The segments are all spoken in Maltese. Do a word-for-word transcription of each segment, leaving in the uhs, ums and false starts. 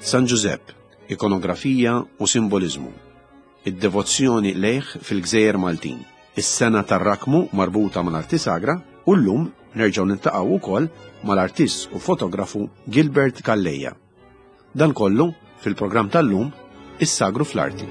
San Ġużepp, ikonografija u simboliżmu. Id-devozzjoni lejh fil-Gżejjer Maltin. Is-sena tar-rakmu marbuta mal-arti sagra u llum nerġgħu niltaqgħu wkoll mal-artist u fotografu Gilbert Calleja. Dan kollu fil-programm tal-lum Is-Sagru fl-Arti.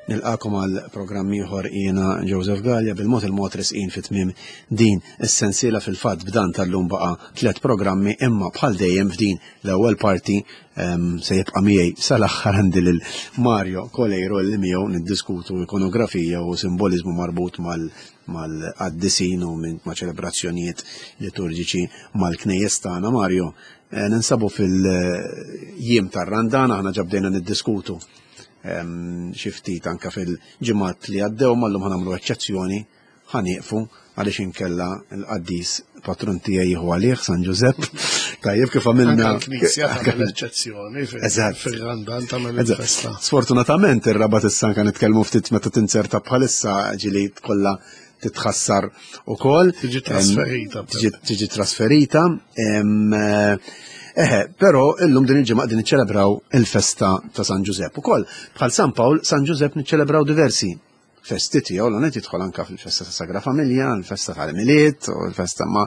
Nilqakom għal programm ieħor jiena Joseph Gallia bil-mod il-mod resqin fi tmiem din is-sensiela. Fil-fatt b'dan tal-lum baqa' tliet programmi, imma bħal dejjem f'din l-ewwel parti um, se jibqa' miegħi sal-aħħar għandi lil Mario Coleiro li miegħu niddiskutu ikonografija u simboliżmu marbut mal mal-qaddisin u ma' ċelebrazzjonijiet liturġiċi mal-knejjes tagħna. Mario, eh, ninsabu fil-jiem tar-Randan, aħna ġabdejna niddiskutu xi ftit anke fil-ġimgħat li għaddew, mallum ħa nagħmlu eċċezzjoni, ħa nieqfu għaliex inkella l-qaddis patrun tiegħi jieħu għalih San Ġużepp. Tajjeb kif għamilna. L-Knisja tagħmel eċċezzjoni fir-Randan tagħmel il-festa. Sfortunatament ir-Rabat issa anke nitkellmu ftit meta tinzerta bħalissa ġili kollha titħassar ukoll. Tiġi trasferita. Tiġi trasferita. Eħe, però illum din il-ġimgħa qegħdin niċċelebraw il-festa ta' San Ġużepp. Ukoll bħal San Pawl, San Ġużepp niċċelebraw diversi festi tiegħu, l qed jidħol anke fil-festa ta' Sagra Familja, l-festa tal-Milied u l-festa ma'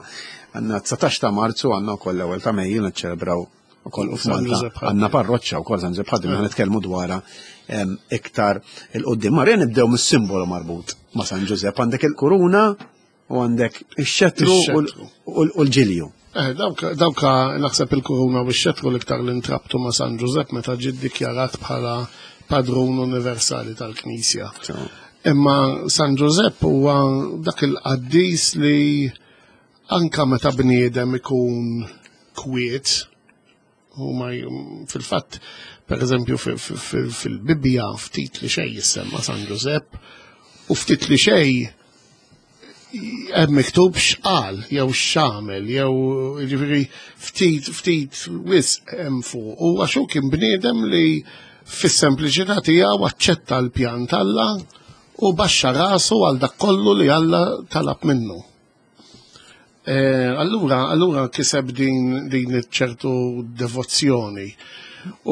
għandna dsatax ta' Marzu, għandna wkoll l-ewwel ta' Mejju niċċelebraw ukoll u f'Malta għandna parroċċa wkoll San Ġużepp ħaddim, nitkellmu dwarha iktar il-qudiem. Marja, nibdew mis-simbolu marbut ma' San Ġużepp, għandek il-kuruna u għandek ix-xetru u l-ġilju. Eh, dawka naħseb il-kuruna u x-xetru l-iktar li ntrabtu ma' San Ġużepp meta ġie ddikjarat bħala padrun universali tal-Knisja. Imma San Ġużepp huwa dak il-qaddis li anka meta bniedem ikun kwiet, huma fil-fatt, per eżempju, fil-Bibbja ftit li xejn jissemma San Ġużepp u ftit li xejn hemm miktub x'qal jew x'għamel jew jiġifieri ftit ftit wisq hemm fuq. U għax hu kien bniedem li fis-sempliċità tiegħu aċċetta l-pjan t'Alla u baxxa rasu għal dak kollu li Alla talab minnu. Allura allura kiseb din din ċertu devozzjoni.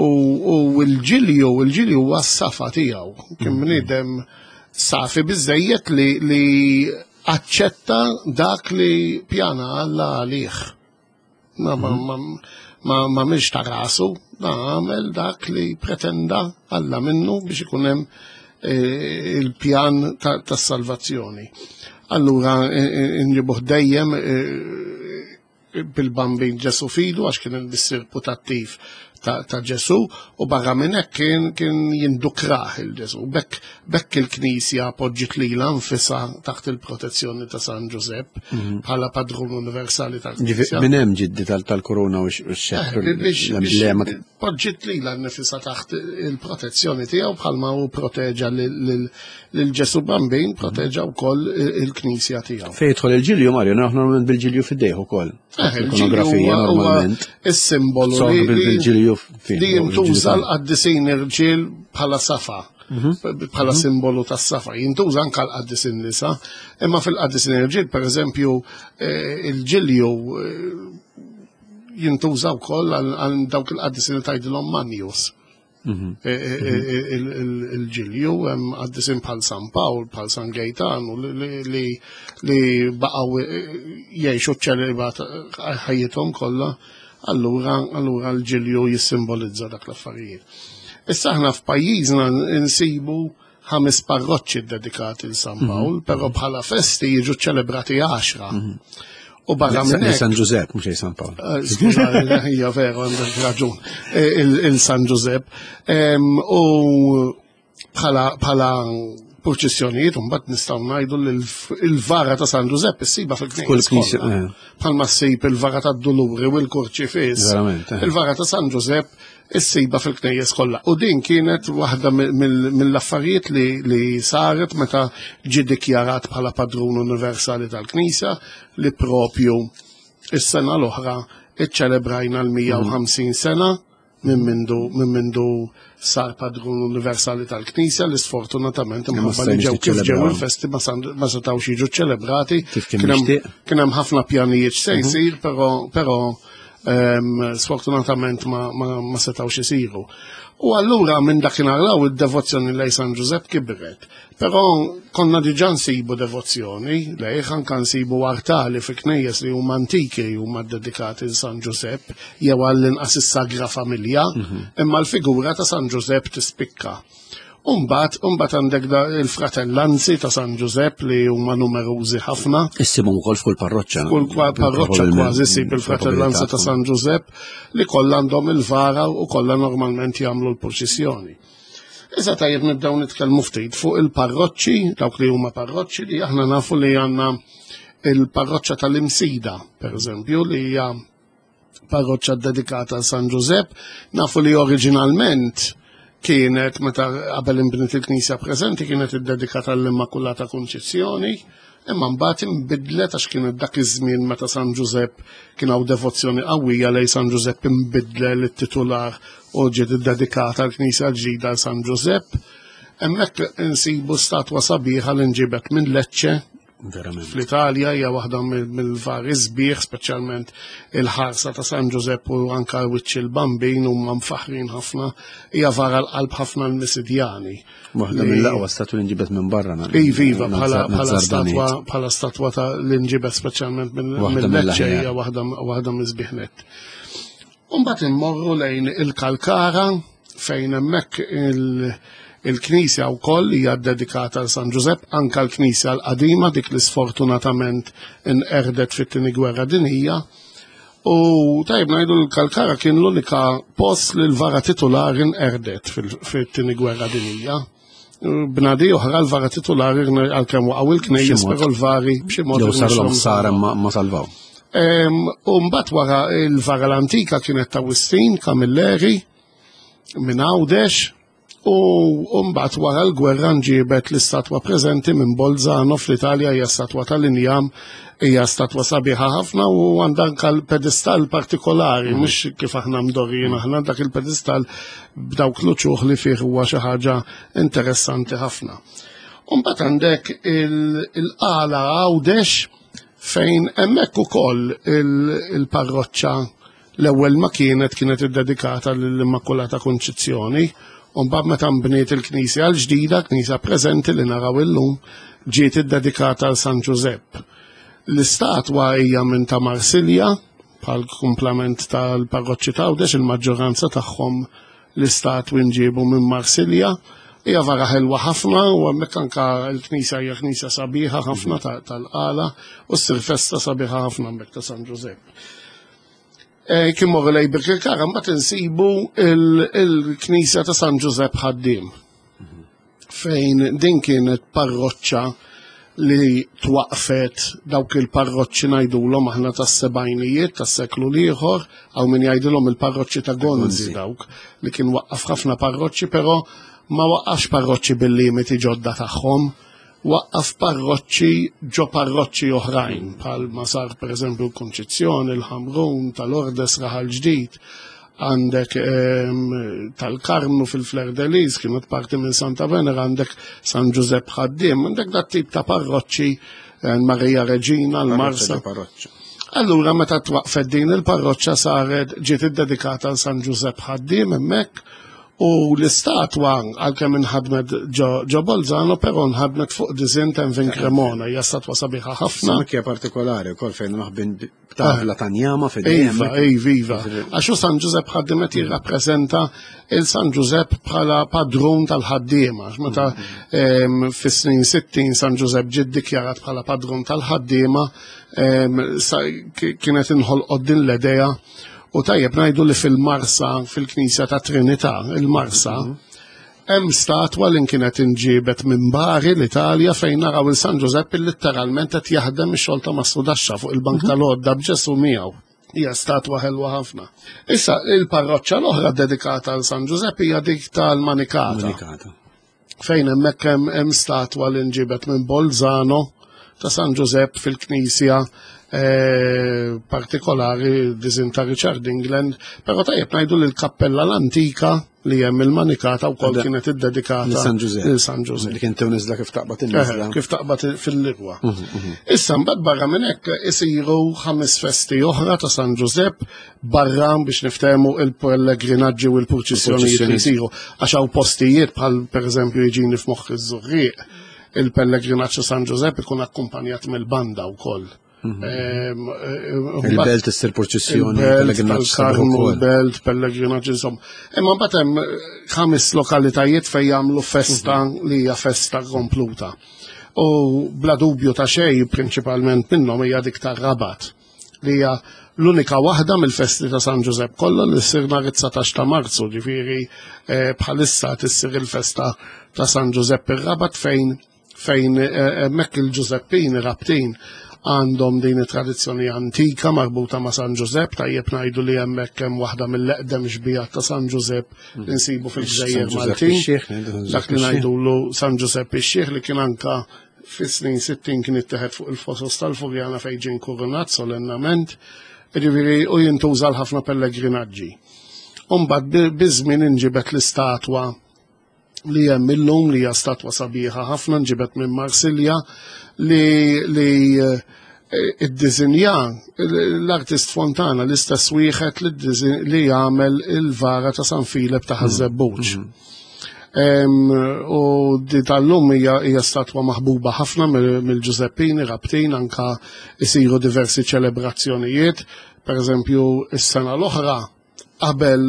U l-ġilju, il-ġilju huwa s-safa tiegħu. Kien bniedem safi biżejjed li li aċċetta dak li pjana Alla għalih. Ma ma ma ma mhix ta' rasu, da għamel dak li pretenda Alla minnu biex ikun hemm il-pjan tas-salvazzjoni. Allura nġibuh dejjem bil-Bambin Ġesu fidu għax kien il-missier putattiv ta' Ġesu u barra minn hekk kien kien jindukrah il-Ġesu. Bekk bekk il-Knisja poġġiet lilha nfisha taħt il-protezzjoni ta' San Ġużepp bħala padrun universali tal-Knisja. Minn hemm ġiddi tal-korona u x-xettru. Poġġiet lilha nfisha taħt il-protezzjoni tiegħu bħalma hu proteġa lil Ġesu Bambin, proteġa wkoll il-Knisja tiegħu. Fejn jidħol il-ġilju, Mario, naħnu bil-ġilju fid-dejh ukoll. Ikonografija normalment. Is-simbolu li li jintuża l-qaddisin irġiel bħala safa, bħala simbolu tas-safa. Jintuża anke l-qaddisin nisa, imma fil-qaddisin irġiel, pereżempju, il-ġilju jintuża wkoll għal dawk il-qaddisin li tgħidilhom manjus. Il-ġilju hemm qaddisin bħal San Pawl, bħal San Gejtanu li baqgħu jgħixu ċ-ċelibat ħajjithom kollha. Allura, allura l-ġilju jissimbolizza dak l-affarijiet. Issa aħna f'pajjiżna nsibu ħames parroċċi dedikati l San Pawl, però bħala festi jiġu ċelebrati għaxra. U barra minn hekk. San Ġużepp, mhux San Pawl. Skuża, hija veru, għandek raġun. Il-San Ġużepp. U bħala Purċissjonijiet, u mbagħad nistgħu ngħidu li l-vara ta' San Ġużepp issiba fil-knisja. Eh. Bħalma ssib il-vara tad-Duluri u l-Kurċifiss. Eh. Il-vara ta' San Ġużepp issiba fil-knejjes kollha. U din kienet waħda mill-affarijiet li, li saret meta ġie dikjarat bħala padrun universali tal-Knisja, li propju is-sena l-oħra iċċelebrajna l-mija u ħamsin sena minn mindu, minn mindu sar padrun universali tal-Knisja, li sfortunatament imħabba li ġew kif ġew il-festi ma setgħux jiġu ċelebrati. Kien hemm ħafna pjanijiet se jsir, però, però sfortunatament ma, ma, ma setgħux isiru. U allura minn dakinhar law id-devozzjoni lejn San Ġużepp kibret. Però konna diġà nsibu devozzjoni lejh, anke nsibu artali fi knejjes li huma antiki huma dedikati l San Ġużepp jew għall-inqas is-Sagra Familja, imma l-figura ta' San Ġużepp tispikka. Umbat, umbat għandek da il-fratellanzi ta' San Ġużepp li huma numerużi ħafna. Issibhom ukoll f'kull parroċċa. Kull parroċċa kważi ssib il-fratellanza ta' San Ġużepp li kollha għandhom il-vara u kollha normalment jagħmlu l-purċissjoni. Issa tajjeb nibdew nitkellmu ftit fuq il-parroċċi, dawk li huma parroċċi li aħna nafu li għandna il-parroċċa tal-Imsida, per eżempju, li hija parroċċa dedikata San Ġużepp. Nafu li oriġinalment kienet, meta qabel inbniet il-knisja preżenti, kienet iddedikata l-Immakulata Kunċizzjoni, imma mbagħad inbidlet għax kienet dak iż-żmien meta San Ġużepp kien hawn devozzjoni qawwija lejn San Ġużepp, inbidlet it-titular u ġiet iddedikata l-knisja l-ġdida għal San Ġużepp. Hemmhekk insibu statwa sabiħa li nġibet minn Lecce. Verament. Fl-Italja hija waħda mill-vari sbieħ, speċjalment il-ħarsa ta' San Ġużepp u anka wiċċ il-Bambin huma mfaħrin ħafna, hija vara l-qalb ħafna l-Misidjani. Waħda mill-aqwa statwa li nġibet minn barra. Iva, iva, bħala statwa, bħala statwa ta' li nġibet speċjalment minn Lecce hija waħda mill-sbieħ nett. U mbagħad immorru lejn il-Kalkara fejn hemmhekk il- il-knisja wkoll hija ddedikata għal San Ġużepp, anka l-knisja l-qadima dik li sfortunatament inqerdet fit-tieni gwerra dinjija. U tajb ngħidu l-Kalkara kien l-unika post li l-vara titulari nqerdet fit-tieni gwerra dinjija. Bnadi oħra l-vara titulari għalkemm waqgħu il-knejjes, però l-vari b'xi mod Jew sarlhom ħsara ma salvaw. U mbagħad wara l-vara l-antika kienet ta' Wistin Camilleri minn Għawdex, u mbagħad wara l-gwerra nġibet l-istatwa preżenti minn Bolzano fl-Italja, hija statwa tal-injam, hija statwa sabiħa ħafna u għandha anke l-pedestal partikolari, mhux kif aħna mdorrijin aħna, dak il-pedestal b'dawk l-uċuħ li fih huwa xi ħaġa interessanti ħafna. U mbagħad għandek il-qala Għawdex fejn hemmhekk ukoll il-parroċċa l-ewwel ma kienet kienet iddedikata lill-Immakulata Kunċizzjoni. U mbagħad meta nbniet il-knisja l-ġdida, knisja preżenti li naraw illum, ġiet iddedikata għal San Ġużepp. L-istatwa hija minn ta' Marsilja, bħal kumplament tal-parroċċi ta' Għawdex, il-maġġoranza tagħhom l-istatwi nġiebu minn Marsilja. Hija vara ħelwa ħafna u hemmhekk anke l-knisja hija knisja sabiħa ħafna tal-qala u ssir festa sabiħa ħafna hemmhekk ta' San Ġużepp. Kien morru lejn Birkirkara, mbagħad insibu il-knisja ta' San Ġużepp Ħaddiem, fejn din kienet parroċċa li twaqfet dawk il-parroċċi ngħidulhom aħna tas-sebgħinijiet tas-seklu l-ieħor, hawn min jgħidilhom il-parroċċi ta' Gonzi dawk li kien waqqaf ħafna parroċċi, però ma waqqafx parroċċi bil-limiti ġodda tagħhom, waqqaf parroċċi ġo parroċċi oħrajn, bħal ma sar pereżempju l-Kunċizzjoni, il-Ħamrun, tal-Ordes, Raħal Ġdid, għandek tal-Karmnu fil-Fleur de Lis, kienet parti minn Santa Venera, għandek San Ġużepp Ħaddiem, għandek dat tip ta' parroċċi, Marija Reġina, l-Marsa. Allura meta twaqfet din il-parroċċa saret ġiet iddedikata għal San Ġużepp Ħaddiem hemmhekk, u l-istatwa għalkemm inħadmet ġo Bolzano, però nħadmet fuq disinn ta' Vin Cremona, hija statwa sabiħa ħafna. Hija partikolari wkoll fejn maħbin b'tavla ta' njama fid-dejjem. Iva, iva, iva. Għax hu San Ġużepp Ħaddiem qed jirrappreżenta il San Ġużepp bħala padrun tal-ħaddiema. Meta fis-snin sittin San Ġużepp ġie ddikjarat bħala padrun tal-ħaddiema, kienet inħolqot din l-idea. U tajjeb ngħidu li fil-Marsa, fil-Knisja ta' Trinità, il-Marsa, Hemm statwa li kienet inġiebet minn Bari l-Italja fejn naraw il San Ġużepp litteralment qed jaħdem ix-xogħol ta' mastrudaxxa fuq il-bank tal-għodda b'Ġesu miegħu. Hija statwa ħelwa ħafna. Issa il-parroċċa l-oħra dedikata għal San Ġużepp hija dik tal-Manikata. Manikata. Fejn hemmhekk hemm hemm statwa li nġibet minn Bolzano ta' San Ġużepp fil-Knisja eh, partikolari disin ta' Richard England, però tajjeb ngħidu li l-kappella l-antika li hemm il-Manikata wkoll Da- kienet iddedikata Lil San Ġużepp. lil San Ġużepp. Li kien tew niżla kif taqbad Eh, in-niżla. Kif taqbad fil-ligwa. Issa mbagħad barra minn hekk isiru ħames festi oħra ta' San Ġużepp barra biex niftehmu il-pellegrinaġġi u l-purċissjonijiet li jsiru għax hawn postijiet bħal pereżempju jiġini f'moħħ iż-Żurrieq il-pellegrinaġġ ta' San Ġużepp ikun akkumpanjat mill-banda wkoll. Ehm, eh, Il-belt issir purċissjoni, il-belt pellegrinaġġ sabiħ tal-Karmnu, ukoll. il-belt, pellegrinaġġ, insomma. Imma mbagħad hemm ħames lokalitajiet fejn jagħmlu festa li hija festa kompluta. U bla dubju ta' xejn prinċipalment minnhom hija dik tar-Rabat li hija l-unika waħda mill-festi ta' San Ġużepp kollha li ssir nhar it-dsatax ta' Marzu, ġifieri eh, bħalissa tissir il-festa ta' San Ġużepp ir-Rabat fejn fejn eh, hemmhekk il-Ġużeppini Rabtin għandhom din it-tradizzjoni antika marbuta ma' San Ġużepp, tajjeb ngħidu li hemmhekk hemm waħda mill-eqdem xbijat ta' San Ġużepp li nsibu fil-Gżejjer San Ġużepp Maltin. ix-Xiħ, ngħidu San Dak Ġużepp li ix-Xiħ. ngħidulu San Ġużepp ix-Xiħ li kien anka fis-snin sittin kien ittieħed fuq il-fosos tal-Furjana fejn ġie nkurunat solennament, ġifieri u jintuża l ħafna pellegrinaġġi. Umbagħad bi- biż-żmien inġibet l-istatwa li hemm illum li hija statwa sabiħa ħafna nġibet minn Marsilja li li eh, iddisinja l-artist Fontana, l-istess wieħed li ddisin- li jagħmel il-vara ta' San Filep ta' Ħaż-Żebbuġ. Em, U di tal-lum hija hija statwa maħbuba ħafna mill- mill-Ġużeppini Rabtin, anka isiru diversi ċelebrazzjonijiet. Per eżempju, is-sena l-oħra qabel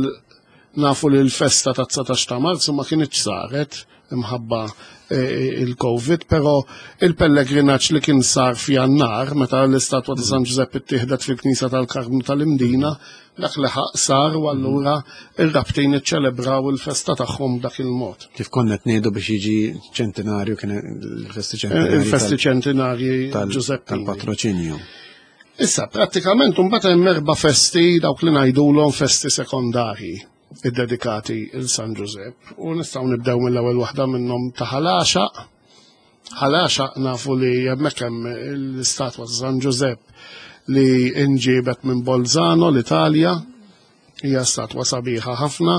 nafu li l-festa ta' dsatax ta' Marzu ma kienx saret imħabba eh, il-Covid, però il-pellegrinaġġ li kien sar f'Jannar, meta l-istatwa ta' San Ġużepp ittieħdet fil-Knisja tal-Karmnu tal-Imdina, dak li ħaq sar u allura ir-Rabtin iċċelebraw il-festa tagħhom dak il-mod. Kif konna qed ngħidu biex jiġi ċentinarju kien il-festi ċentinarji Il-festi ċentinarji tal- Ġużeppini. tal-patroċinju. Issa, prattikament, mbagħad hemm erba' festi dawk li ngħidulhom festi sekondarji iddedikati il San Ġużepp u nistgħu nibdew mill-ewwel waħda minnhom ta' Ħal Għaxaq. Ħal Għaxaq nafu li hemmhekk hemm l-istatwa ta' San Ġużepp li inġibet minn Bolzano l-Italja, hija statwa sabiħa ħafna.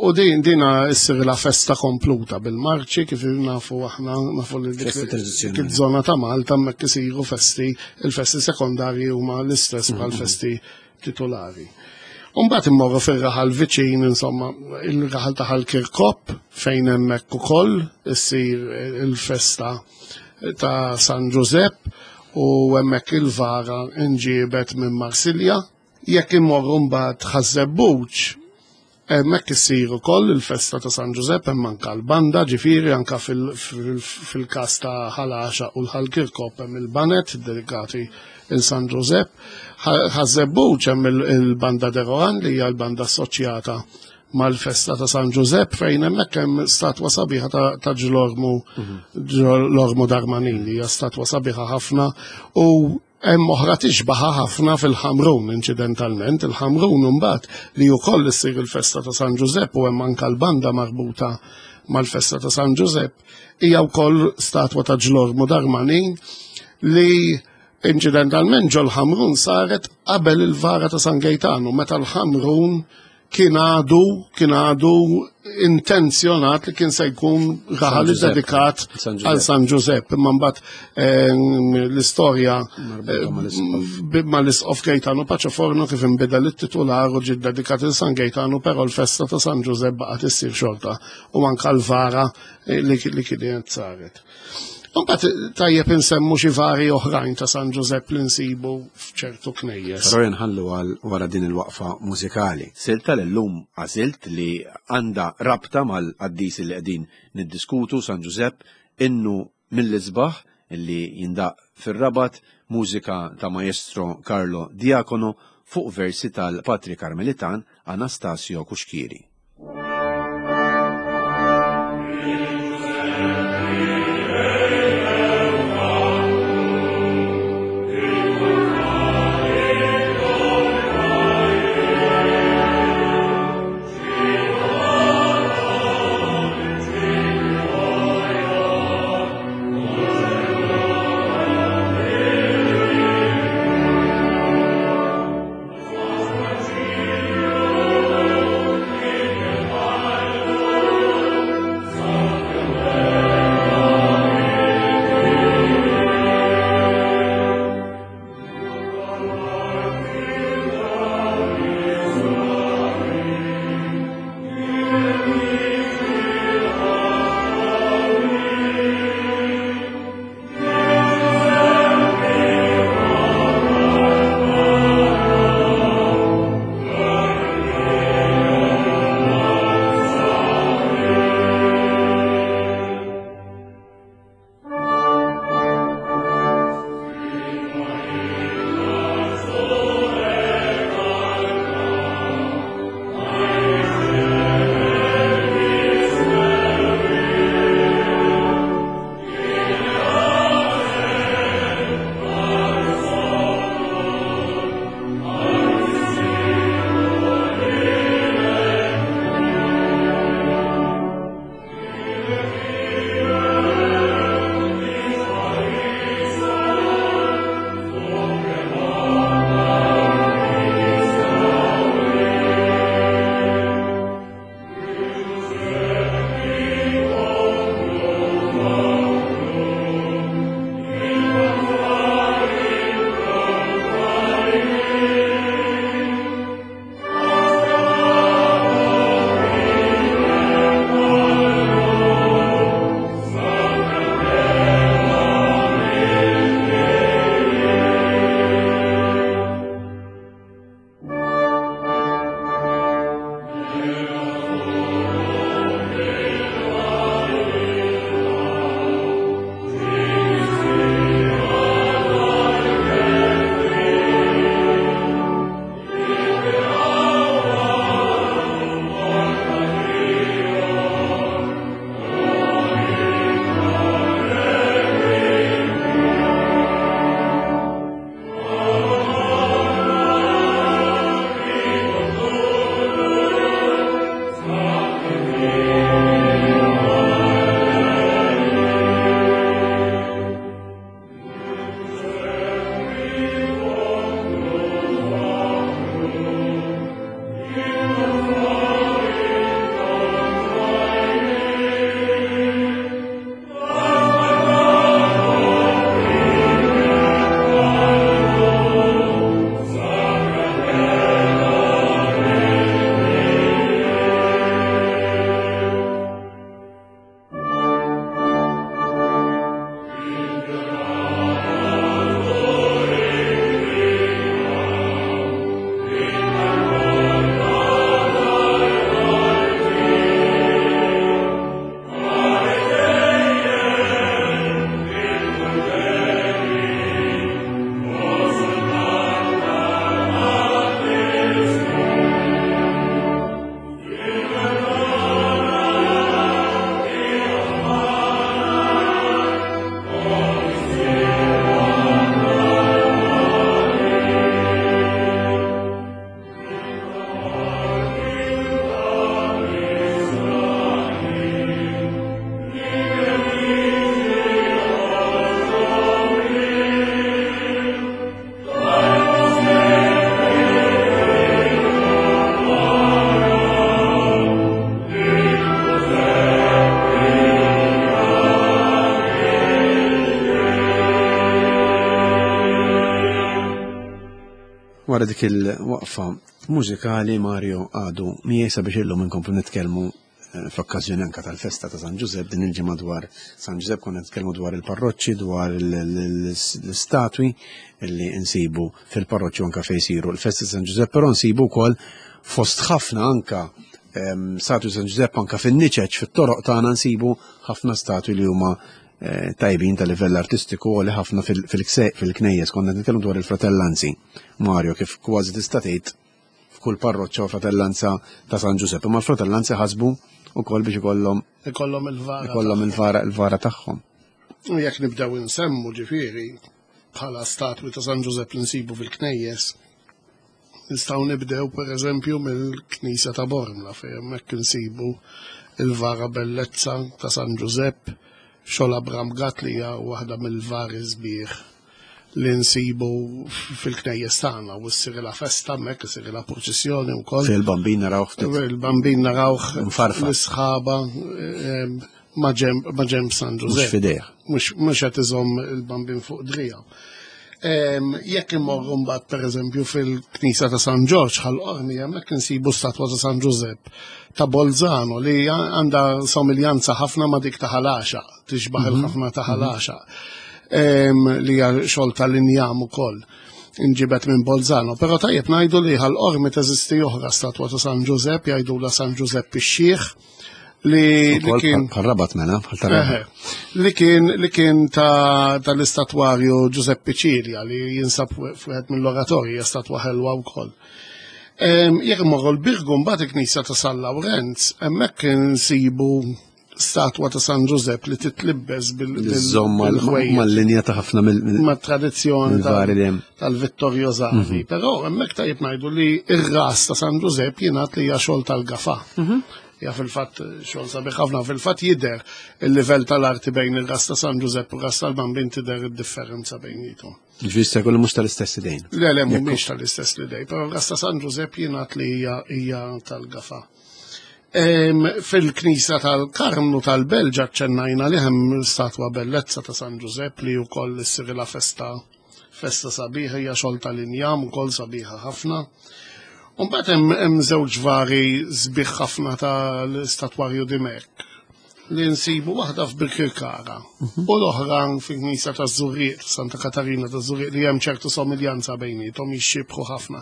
U din dina issir la festa kompluta bil-marċi kif nafu aħna nafu li dik Festi tradizzjonali. dik iż-żona ta' Malta hemmhekk isiru festi, il-festi sekondarji huma l-istess bħal festi titolari. Umbagħad immorru fir-raħal viċin, insomma, il-raħal ta' Ħal Kirkop fejn hemmhekk ukoll issir il-festa ta' San Ġużepp u hemmhekk il-vara inġiebet minn Marsilja. Jekk immorru mbagħad Ħaż-Żebbuġ, hemmhekk issir ukoll il-festa ta' San Ġużepp, hemm anka l-banda, ġifieri anka fil- fil- fil-każ ta' Ħal Għaxaq u l-Ħal Kirkop hemm il-banet dedikati il San Ġużepp. Ħaż-Żebbuġ hemm il- il-banda De Rohan li hija l-banda assoċjata mal-festa ta' San Ġużepp fejn hemmhekk hemm statwa sabiħa ta' ta' Ġlormu Ġlormu Darmanin li hija statwa sabiħa ħafna u hemm oħra tixbaħa ħafna fil-Ħamrun inċidentalment, il-Ħamrun imbagħad li wkoll issir il-festa ta' San Ġużepp u hemm anke l-banda marbuta mal-festa ta' San Ġużepp, hija wkoll statwa ta' Ġlormu Darmanin li inċidentalment ġol Ħamrun saret qabel il-vara ta' San Gejtanu, meta l-Ħamrun kien għadu kien għadu intenzjonat li kien se jkun raħal Ġużepp. dedikat San Ġużepp. għal San Ġużepp. Imma mbagħad eh, l-istorja Marbuta mal-isqof. eh, mal-isqof Gejtanu Paċoforno kif inbidel it-titular u ġie dedikat il San Gejtanu, però l-festa ta' San Ġużepp baqgħet issir xorta u anka l-vara eh, li li kienet saret. Mbagħad tajjeb insemmu xi vari oħrajn ta' San Ġużepp li nsibu f'ċertu knejjes. Però nħallu għal wara din il-waqfa mużikali. Silta l-lum għażilt li għandha rabta mal-qaddis li qegħdin niddiskutu, San Ġużepp, innu mill-isbaħ li jindaq fir-Rabat, mużika ta' Maestro Carlo Diacono fuq versi tal-Patri Karmelitan Anastasio Cuschieri. Thank Wara dik il-waqfa mużikali, Mario għadu miegħi sabiex illum inkomplu nitkellmu eh, fl-okkażjoni anka tal-festa ta' San Ġużepp din il-ġimgħa dwar San Ġużepp. Konna nitkellmu dwar il-parroċċi, dwar l-istatwi li nsibu fil-parroċċi anka fejn isiru l-festa ta' San Ġużepp, però nsibu wkoll fost ħafna anka ehm, statwi San Ġużepp anka fin-niċeċ fit-toroq tagħna, nsibu ħafna statwi li huma eh, tajbin ta' livell artistiku u li ħafna fil-knejjes. Konna nitkellmu dwar il-fratellanzi. Mario, kif kważi tista' tgħid f'kull parroċċa u fratellanza ta' San Ġużepp, imma l-fratellanzi ħasbu ukoll biex ikollhom ikollhom il-vara. Ikollhom il-vara il-vara tagħhom. U jekk nibdew insemmu, ġifieri, bħala statwi ta' San Ġużepp li nsibu fil-knejjes, nistgħu nibdew pereżempju mill-Knisja ta' Bormla, fejn hemmhekk insibu il-vara bellezza ta' San Ġużepp, xogħol Abram Gatt, li hija waħda mill-vari sbieħ li nsibu fil-knejjes tagħna, u ssirilha festa hemmhekk, ssirilha purċissjoni wkoll. Fil-Bambin narawh ftit. Il-Bambin narawh mfarfar. L-isħaba ma' ġemb San Mhux Ġużepp. F'idejh. Mhux mhux qed iżomm il-Bambin fuq driegħu. Jekk immorru mbagħad pereżempju fil-Knisja ta' San Ġorġ Ħal Qormi, hemmhekk insibu statwa ta' San Ġużepp ta' Bolzano li għandha somiljanza ħafna ma' dik ta' Ħal Għaxaq, tixbaħ il-ħafna ta' Ħal Għaxaq. Li hija xogħol tal-injam ukoll, inġibet minn Bolzano. Però tajjeb ngħidu li Ħal Qormi teżisti oħra statwa ta' San Ġużepp, jgħidula San Ġużepp ix-Xiħ, li, li Ukoll kien bħal Rabat mela, bħal tar-Rabat. Eħe, li kien li kien ta' tal-istatwarju Giuseppe Cilia, li jinsab f'wieħed mill-oratorji, hija statwa ħelwa wkoll. Em, Jekk imorru l-Birgu mbagħad, il-Knisja ta' San Lawrenz, hemmhekk insibu statwa ta' San Ġużepp li titlibbes bil- bil- Iżomm bil-ħwejjeġ mal-linja ta' ħafna mill- mill- ma' tradizzjoni mill-vari li hemm. Tal-Vittoriosani. Però hemmhekk tajjeb ngħidu li ir-ras ta' San Ġużepp jingħad li hija xogħol tal-Gafa. Ja, fil-fatt xogħol sabiħ ħafna, fil-fatt jidher il-livell tal-arti bejn ir-ras ta' San Ġużepp u ras tal-Bambin, tidher id-differenza bejnietom. Ġifieri se jkollu mhux tal-istess idejn. Le, le, mhumiex tal-istess idejn, però ras ta' San Ġużepp jingħad li hija hija tal-Gafa. Em, Fil-Knisja tal-Karmnu tal-Belġa ċennajna li hemm statwa bellezza ta' San Ġużepp li wkoll issirilha festa festa sabiħa, hija xogħol tal-injam ukoll, sabiħa ħafna. U mbagħad hemm hemm żewġ vari sbieħ ħafna tal-istatwarju Dimech li nsibu waħda f'Birkirkara u l-oħra fil-Knisja ta' Żurrieq, Santa Katarina ta' Żurrieq, li hemm ċertu somiljanza bejnietom, jixxibħu ħafna.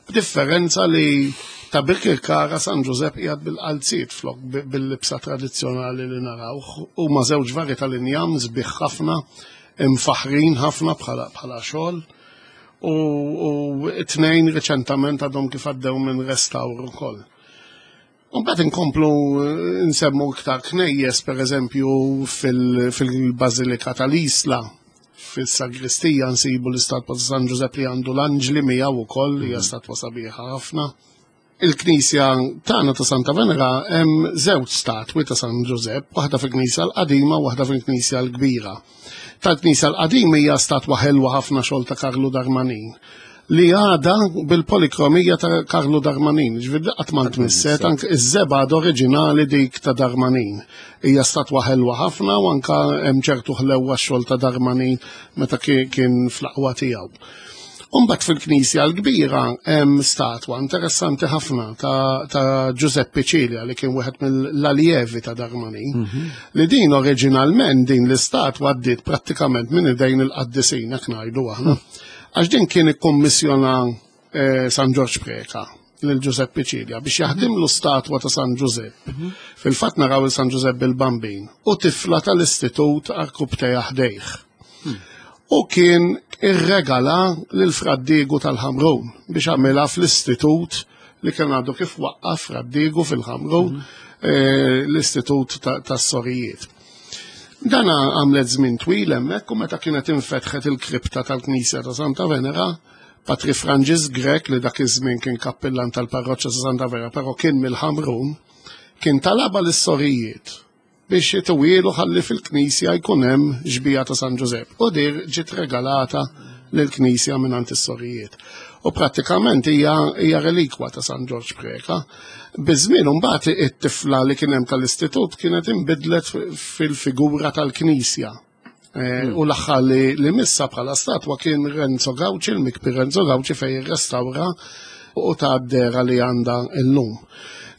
B'differenza li ta' Birkirkara San Ġużepp qiegħed bil-qalziet flok bi- bil-libsa tradizzjonali li narawh. Huma żewġ vari tal-injam sbieħ ħafna, imfaħrin ħafna bħala bħala xogħol. U, u t-tnejn reċentament għadhom kif għaddew minn restawr ukoll. U mbagħad inkomplu eh, nsemmu iktar knejjes, per eżempju fil-Bażilika tal-Isla, fil-Sagristija nsibu l-istatwa ta' San Ġużepp li għandu l-anġli miegħu wkoll, hija statwa sabiħa ħafna. Il-Knisja tagħna ta' Santa Venera hemm żewġ statwi ta' San Ġużepp, waħda fil-Knisja l-qadima u waħda fil-Knisja l-kbira. Tal-Knisja l-qadima hija statwa ħelwa ħafna, xogħol ta' Karlu Darmanin, li għada bil-polikromija ta' Karlu Darmanin, ġifieri qatt ma tmisset, anke iż-żebgħa oriġinali dik ta' Darmanin. Hija statwa ħelwa ħafna u anka hemm ċertu ħlewwa xogħol ta' Darmanin meta kien fl-aqwa tiegħu. Umbagħad fil-Knisja l-kbira hemm statwa interessanti ħafna ta', ta Giuseppe Cilia, li kien wieħed mill-allievi ta' Darmanin. Mm -hmm. Li din oriġinalment, din l-istatwa għaddiet prattikament minn idejn il-qaddisin, hekk ngħidu aħna. Għax din kien ikkommissjona eh, San Ġorġ Preka lil Giuseppe Cilia biex jaħdimlu statwa ta' San Giuseppe. Mm -hmm. Fil-fatt naraw il-San Giuseppe il-Bambin u tifla tal-istitut għarkupptejha ħdejh. Mm. U kien irregala lil Fra Diegu tal-Ħamrun biex għamilha fl-istitut li kien għadu kif waqqaf Fra Diegu fil-Ħamrun, mm -hmm. l-istitut tas-sorijiet. Dana għamlet żmien twil hemmhekk, u meta kienet infetħet il-kripta tal-Knisja ta' Santa Venera, Patri Franġis Grech, li dak iż-żmien kien kappillan tal-parroċċa ta' Santa Venera, però kien mill-Ħamrun, kien talaba lis-sorijiet biex jtuhielu ħalli fil-Knisja jkun hemm xbieha ta' San Ġużepp. U din ġiet regalata lill-Knisja minn is-sorijiet. U prattikament hija hija relikwa ta' San Ġorġ Preka. Biż-żmien mbagħad it-tifla li kien hemm tal-istitut kienet inbidlet fil-figura tal-Knisja. Eh, u l-aħħar li, li missa bħala statwa kien Renzo Gauci, il-mikbi Renzo Gauci fejn irrestawra u ta d-dehra li għandha illum.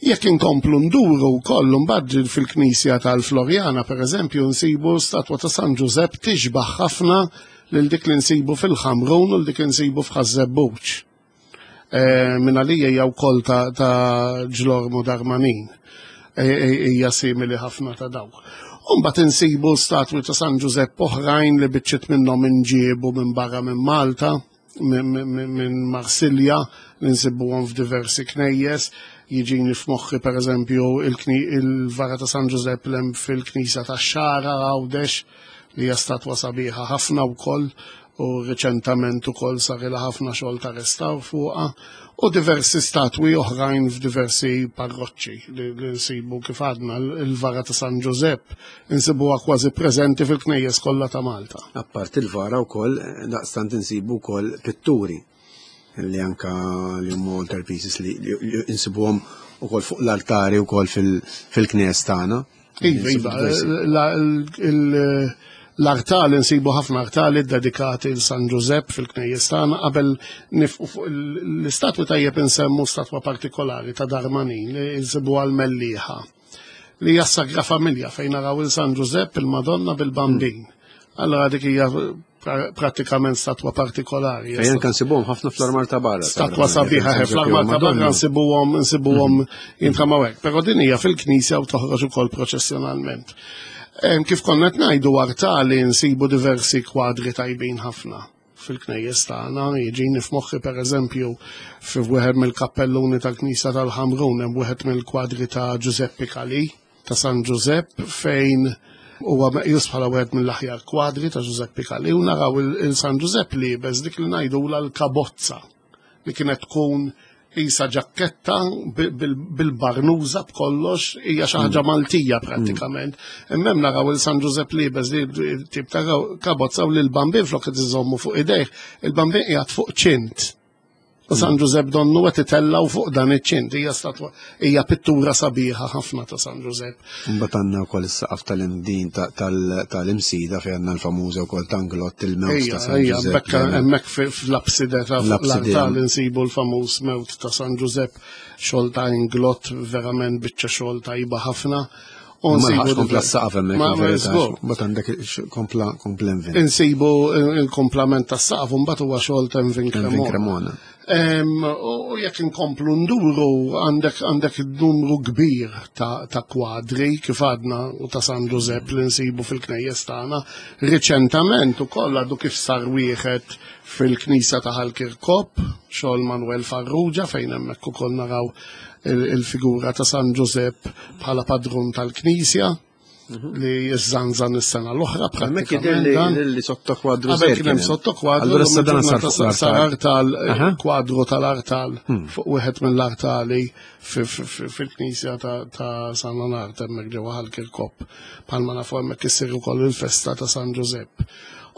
Jekk inkomplu nduru wkoll mbagħad fil-Knisja tal-Florjana, pereżempju, nsibu statwa ta' San Ġużepp tixbaħ ħafna lil dik li nsibu fil-Ħamrun u dik li nsibu f'Ħaż-Żebbuġ. Eh, Minn għalija hija wkoll ta' ta' Ġlormu Darmanin. Eh, eh, Hija simili ħafna ta' dawk. Umbat insibu statwi ta' San Ġużepp oħrajn li biċċiet minnhom inġiebu minn barra minn Malta, minn minn Marsilja, li nsibuhom f'diversi knejjes. Jiġini f'moħħi pereżempju il-vara ta' San Ġużepp l fil-Knisja tax-Xagħra Għawdex, li hija statwa sabiħa ħafna wkoll u reċentament ukoll sarilha ħafna xogħol ta' restawr fuqha u diversi statwi oħrajn f'diversi parroċċi li, li nsibu kif għadna il-vara ta' San Ġużepp insibuha kważi preżenti fil-knejjes kollha ta' Malta. Apart il-vara wkoll daqstant insibu wkoll pitturi li anka li huma altar pieces li, li, li insibuhom ukoll fuq l-altari wkoll fil-knejjes tagħna. Iva, iva, la- il- l-artali nsibu ħafna artali dedikati l San Ġużepp fil-knejjes tagħna. Qabel nifqu fuq l-istatwi tajjeb insemmu statwa partikolari ta' Darmanin li nsibu għal-Mellieħa li hija Sagra Familja fejn naraw il San Ġużepp, il-Madonna bil-Bambin. Allora dik hija prattikament statwa partikolari. Fejn kan nsibuhom ħafna fl-armar ta' barra. Statwa sabiħa fl-armar ta' barra nsibuhom nsibuhom jintramaw hekk. Però din hija fil-knisja u toħroġ ukoll proċessjonalment. Kif konna qed ngħidu, artali nsibu diversi kwadri tajbin ħafna fil-knejjes tagħna. Jiġini f'moħħi pereżempju fi wieħed mill-kappelluni tal-Knisja tal-Ħamrun hemm wieħed mill-kwadri ta' Giuseppe Calì ta' San Giuseppe fejn huwa meqjus bħala wieħed mill-aħjar kwadri ta' Giuseppe Calì u naraw il-San Giuseppe liebes dik li ngħidula l-kabozza li kienet tkun isa ġakketta bil-barnuża b'kollox, hija xi ħaġa Maltija prattikament. Imma hemm naraw il-San Giuseppe liebes li tip ta' kabozza u l-bambin flok qed iżommu fuq idejh, il-bambin qiegħed fuq ċint. U San Giuseppe donnu qed itellaw fuq dan iċ-ċint, hija statwa, hija pittura sabiħa ħafna ta' San Giuseppe. Mbagħad għandna wkoll is-saqaf tal-imdin tal-Imsida fejn għandna l-famuża wkoll Tanglott il-mewt ta' San Giuseppe. Hemmhekk fl-abside ta' l-artal insibu l-famuż mewt ta' San Giuseppe, xogħol ta' Inglott, verament biċċa xogħol tajba ħafna. U nsibu kompla s-saqaf hemmhekk. Mbagħad għandek kompla kompla Envin. Insibu il-komplament tas-saqaf u mbagħad huwa xogħol ta' Envin Cremona. U jekk inkomplu nduru għandek għandek numru kbir ta', ta kwadri kif għadna u ta' San Giuseppe li nsibu fil-knejjes tagħna. Riċentament ukoll għadu kif sar wieħed fil-knisja ta' Ħal Kirkop, xogħol Manuel Farrugia, fejn hemmhekk ukoll naraw il-figura ta' San Giuseppe bħala padrun tal-knisja li jizzanzan is-sena l-oħra. Hemmhekk jidher li sotto kwadru. Qabel kien hemm sotto kwadru. Allura issa dan sar fuq sar artal, kwadru tal-artal fuq wieħed mill-artali fil-knisja ta' San Leonard hemmhekk ġewwa Ħal Kirkop. Bħalma nafu hemmhekk issir ukoll il-festa ta' San Giuseppe.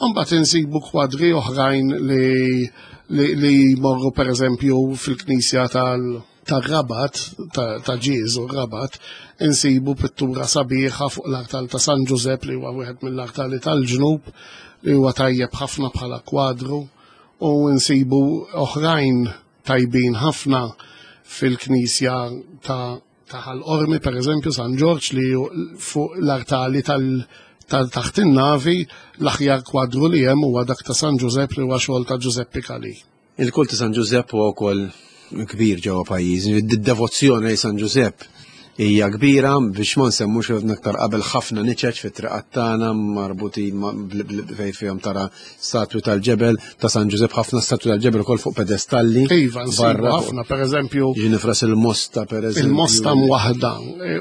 Mbagħad insibu kwadri oħrajn li li jmorru pereżempju fil-knisja tal- tar-Rabat, ta' Ġieżu Rabat, insibu pittura sabiħa fuq l-artal ta' San Giuseppe li huwa wieħed mill-artali tal-ġnub li huwa tajjeb ħafna bħala kwadru, u nsibu oħrajn tajbin ħafna fil-knisja ta' ta' Ħal Qormi, pereżempju San Ġorġ, li fuq l-artali tal taħt in-navi l-aħjar kwadru li hemm huwa dak ta' San Giuseppe li huwa xogħol ta' Giuseppe Calì. Il-kult ta' San Giuseppe huwa wkoll kbir ġewwa pajjiż. Id-devozzjoni lejn San Giuseppe hija kbira, biex ma nsemmux aktar qabel ħafna niċeċ fit-triqat tagħna marbutin fejn fihom tara statwi tal-ġebel ta' San Giuseppe, ħafna statwi tal-ġebel ukoll fuq pedestalli. Iva, nsibu ħafna, pereżempju. Jiġi nifras il-Mosta, pereżempju. Il-Mosta mwaħda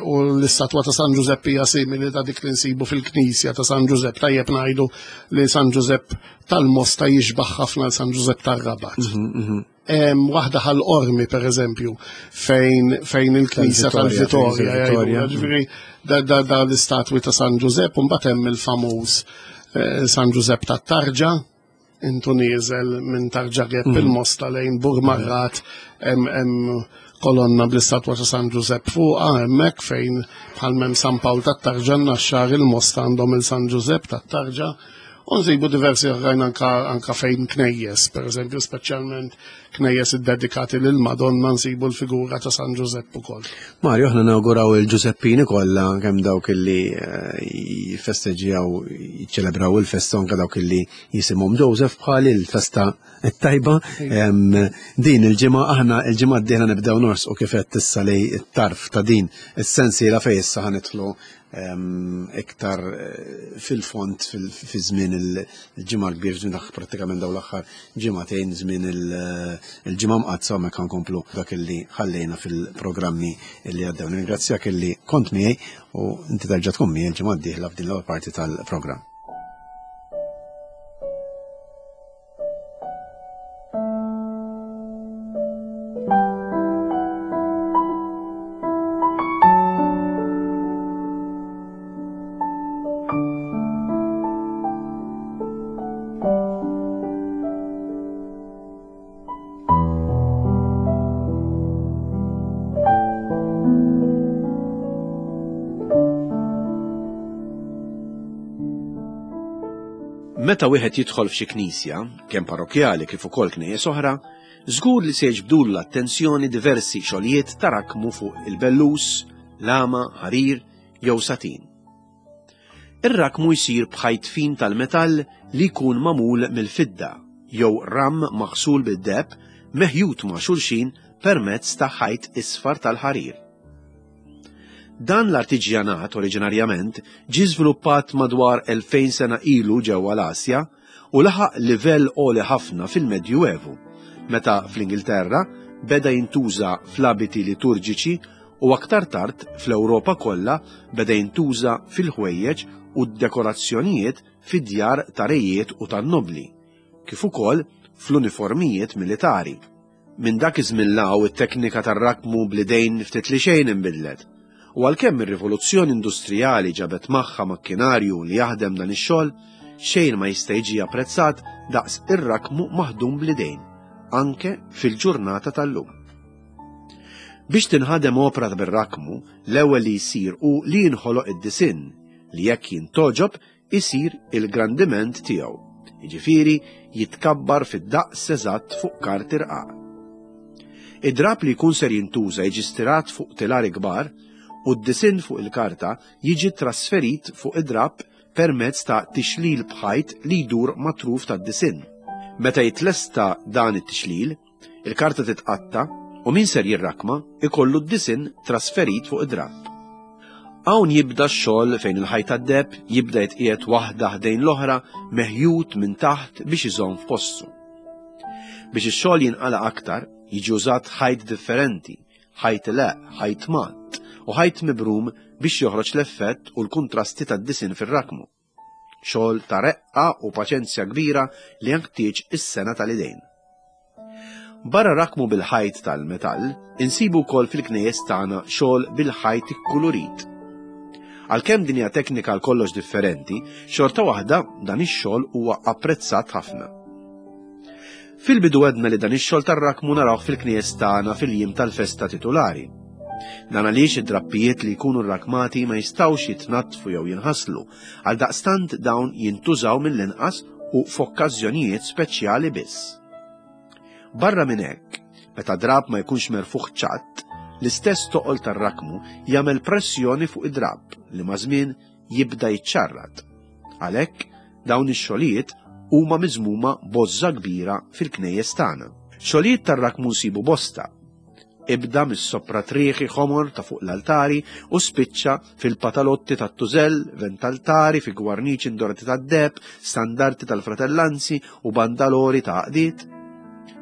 u l-istatwa ta' San Giuseppe hija simili ta' dik li nsibu fil-knisja ta' San Giuseppe. Tajjeb ngħidu li San Giuseppe tal-Mosta jixbaħ ħafna l San Giuseppe tar-Rabat. Waħda Ħal Qormi pereżempju fejn fejn il-knisja tal-Vitorja, ġifieri da da l-istatwi ta' San Giuseppe, u mbagħad hemm il-famuż San Giuseppe tat-Tarġa, intu nieżel minn Tarġa Gep il-Mosta lejn Burmarrat, hemm kolonna bl-istatwa ta' San Giuseppe fuqha hemmhekk fejn bħal m'hemm San Pawl tat-Tarġa, Naxxar il-Mosta għandhom il-San Giuseppe tat-Tarġa. U nsibu diversi oħrajn anka, anka fejn knejjes, per eżempju, speċjalment knejjes iddedikati lil Madonna nsibu l-figura ta' San Ġużepp ukoll. Mario, aħna nawguraw il-Ġużeppini kollha kemm dawk illi jiffesteġġjaw, jiċċelebraw il-festa, anke dawk illi jisimhom Joseph bħal il-festa t-tajba. Din il-ġimgħa aħna il-ġimgħa d-dieħla nibdew norsqu kif qed issa lej it-tarf ta' din is-sensiela fejn issa ħanidħlu iktar fil-fond fi żmien il-ġimgħa l-kbir, żmien prattikament dawn l-aħħar ġimgħatejn, żmien il-ġimgħa mqaddsa, hemmhekk nkomplu dak illi ħallejna fil-programmi li għaddew. Ningrazzjak illi kont miegħi u inti terġa' tkun miegħi l-ġimgħa d-dieħla f'din l-ewwel parti tal-programm. Meta wieħed jidħol f'xi knisja, kemm parrokkjali kif ukoll knejjes oħra, żgur li se jiġbdulu l-attenzjoni diversi xogħlijiet ta' rakmu fuq il-bellus, lama, ħarir jew satin. Ir-rakmu jsir b'ħajt fin tal-metall li jkun magħmul mill-fidda jew ram maħsul bid-deheb meħjut ma' xulxin permezz ta' ħajt isfar tal-ħarir. Dan l-artiġjanat oriġinarjament ġie żviluppat madwar elfejn sena ilu ġewwa l-Asja u laħaq livell għoli ħafna fil-Medjuevu, meta fl-Ingilterra beda jintuża fl-abiti liturġiċi u aktar tard fl-Ewropa kollha beda jintuża fil-ħwejjeġ u d-dekorazzjonijiet fid-djar ta' rejiet u tan-nobli, kif ukoll fl-uniformijiet militari. Minn dak iż-żmien law it-teknika tar-rakmu bl-idejn ftit li xejn inbidlet. U għalkemm ir-rivoluzzjoni industrijali ġabet magħha makkinarju li jaħdem dan ix-xogħol, xejn ma jista' jiġi apprezzat daqs ir-rakmu maħdum bl-idejn, anke fil-ġurnata tal-lum. Biex tinħadem opra bir-rakmu, l-ewwel li jsir hu li jinħoloq id-disinn li jekk jintoġob isir il-grandiment tiegħu, jiġifieri jitkabbar fid-daqs eżatt fuq karti rqaq. Id-drab li jkun ser jintuża jiġi stirat fuq tilari kbar u d-disinn fuq il-karta jiġi trasferit fuq id-drab permezz ta' tixlil b'ħajt li jdur matruf tad-disinn. Meta jitlesta dan it-tixlil, il-karta titqatta u min ser jirrakma ikollu d-disinn trasferit fuq id-drab. Hawn jibda x-xogħol fejn il-ħajt tad-deheb jibda jitqiegħed waħda ħdejn l-oħra meħjut minn taħt biex iżomm f'postu. Biex ix-xogħol jinqala aktar, jiġi użat ħajt differenti, ħajt leq, ħajt mat u ħajt mibrum biex joħroġ l-effett u l-kontrasti tad-disinn fir-rakmu. Xogħol ta' reqqa u paċenzja kbira li jenħtieġ is-sena tal-idejn. Barra rakmu bil-ħajt tal-metall, insibu wkoll fil-knejjes tagħna xogħol bil-ħajt ikkulurit. Għalkemm din hija teknika għal kollox differenti, xorta waħda dan ix-xogħol huwa apprezzat ħafna. Fil-bidu għedna li dan ix-xogħol tar-rakmu narawh fil-knejjes tagħna fil-jiem tal-festa titulari. Dan għaliex id-drappijiet li jkunu rrakmati ma jistgħux jitnaddfu jew jinħaslu, għal daqstant dawn jintużaw mill-inqas u f'okkażjonijiet speċjali biss. Barra minn hekk, meta drab ma jkunx merfuħ ċatt, l-istess toqol tar-rakmu jagħmel pressjoni fuq id-drab li ma' żmien jibda jiċċarrat. Għalhekk dawn ix-xogħlijiet huma miżmuma bożża kbira fil-knejjes tagħna. Xogħlijiet tar-rakmu nsibu bosta. Ibda mis-sopratriħi ħomor ta' fuq l-altari u spiċċa fil-patalotti tat-tużell, ventaltari, fi gwarniċi indorati tad-deheb, standarti tal-fratellanzi u bandalori ta' għaqdiet.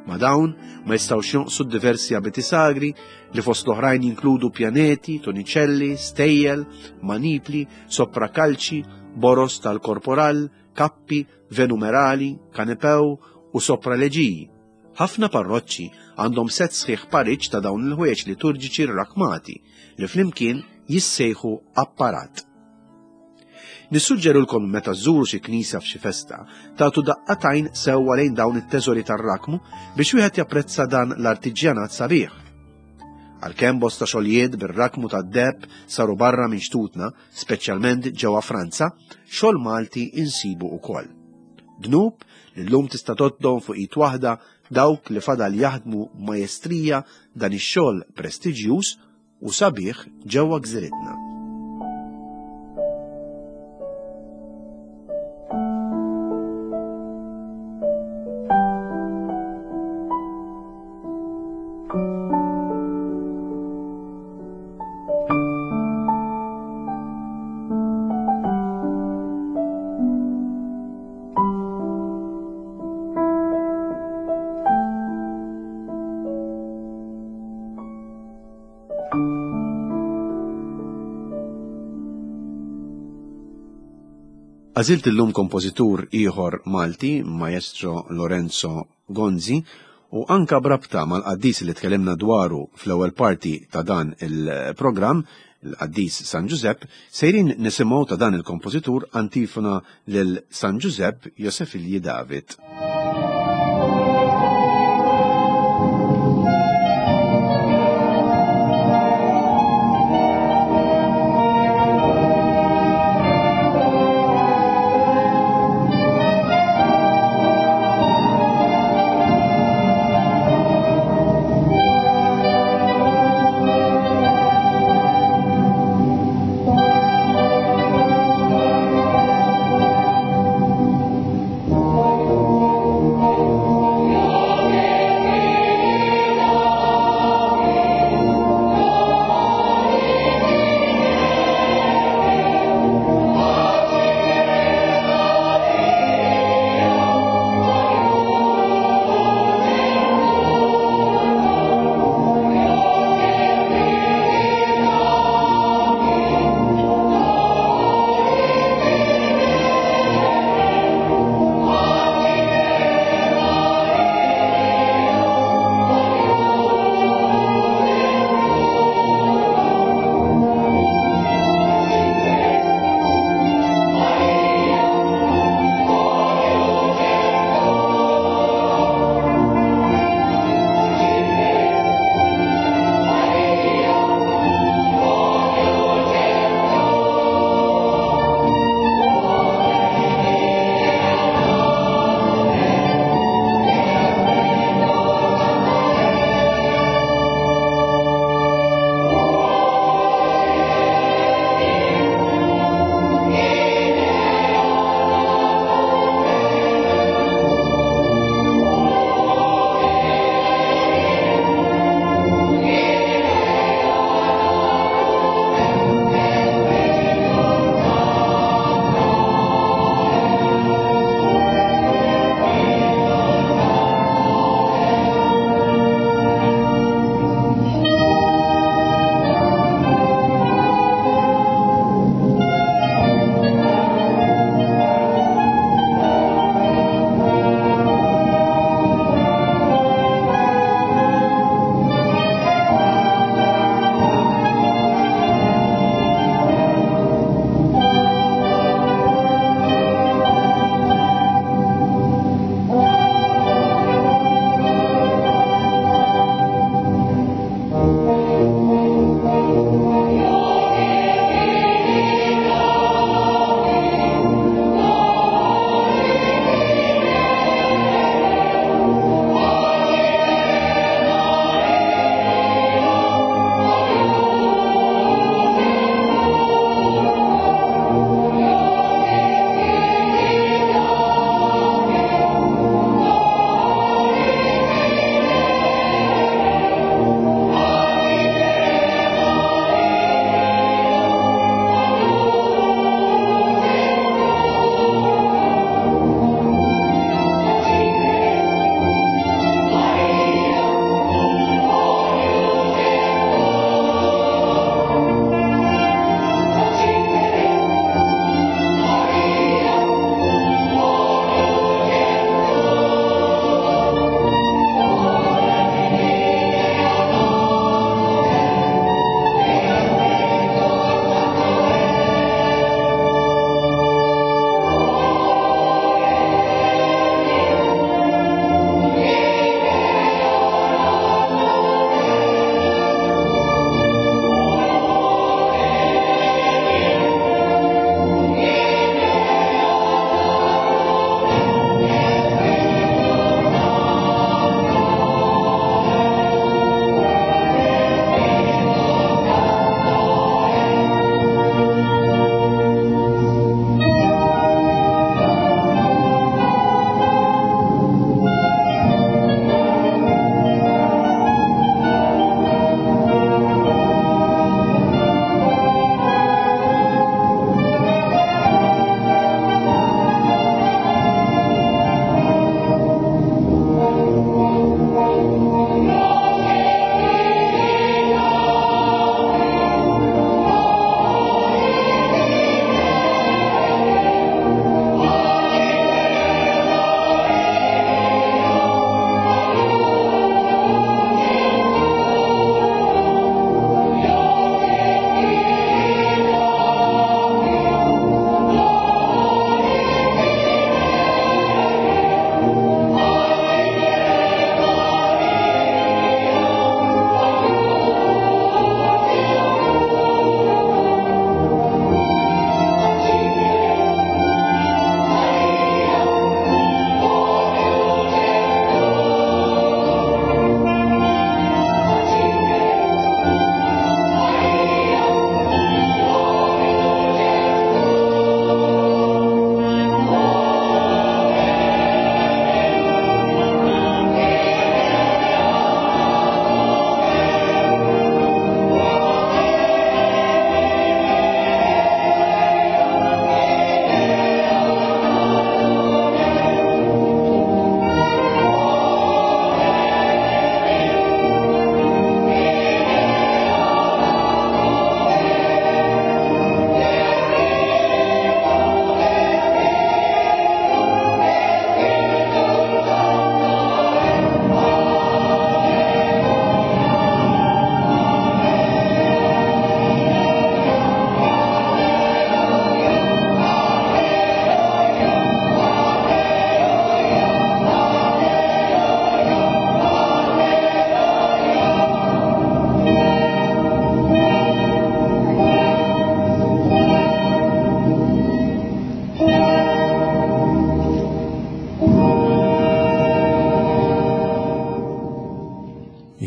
Ma' dawn ma jistgħux jonqsu diversi abiti sagri li fost l-oħrajn jinkludu pjaneti, toniċelli, stejjel, manipli, soprakalċi, boros tal-korporal, kappi, venumerali, kanepew u sopraleġiji. Ħafna parroċċi għandhom set sħiħ pariġġ ta' dawn il-ħwejjeġ liturġiċi rrakmati li flimkien jissejħu apparat. Nissuġġerulkom meta żżuru xi knisja f'xi festa, tagħtu daqqatajn sewwa lejn dawn it-teżori tar-rakmu biex wieħed japprezza dan l-artiġjanat sabiħ. Għalkemm bosta xogħlijiet bir-rakmu tad-deheb saru barra minn xtutna, speċjalment ġewwa Franza, xogħol Malti insibu wkoll. Dnub li llum tista' tgħoddhom fuq id waħda dawk li fadal jaħdmu b'majestrija dan ix-xogħol prestiġjuż u sabiħ ġewwa gżiritna. Għażilt illum kompożitur ieħor Malti, Maestro Lorenzo Gonzi, u anka brabta mal-qaddis li tkellimna dwaru fl-ewwel parti ta' dan il-programm, il-qaddis San Ġużepp, sejrin nisimgħu ta' dan il-kompożitur antifona lil San Ġużepp Josefilji David. Thank you.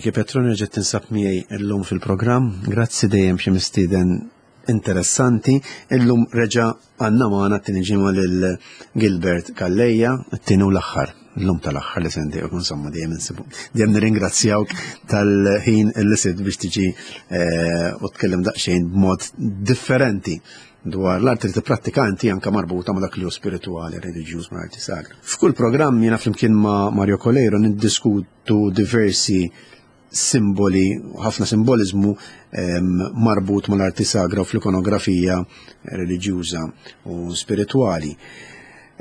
Niki Petroni ġet tinsab miegħi llum fil-programm. Grazzi dejjem xi mistieden interessanti. Illum reġa' għandna magħna t-tieni ġimgħa lil Gilbert Calleja, t-tieni u l-aħħar. Illum tal-aħħar li sendi, u insomma dejjem insibu. Dejjem nirringrazzjawk tal-ħin li sibt biex tiġi eh, u tkellem daqsxejn b'mod differenti dwar l-arti li tipprattika inti, anka marbuta ma' dak li hu spirituali, reliġjuż, ma' arti sagra. F'kull programm jiena flimkien ma' Mario Coleiro niddiskutu diversi simboli, ħafna simbolizmu em, marbut mal-arti sagra u fl-ikonografija reliġjuża u spirituali.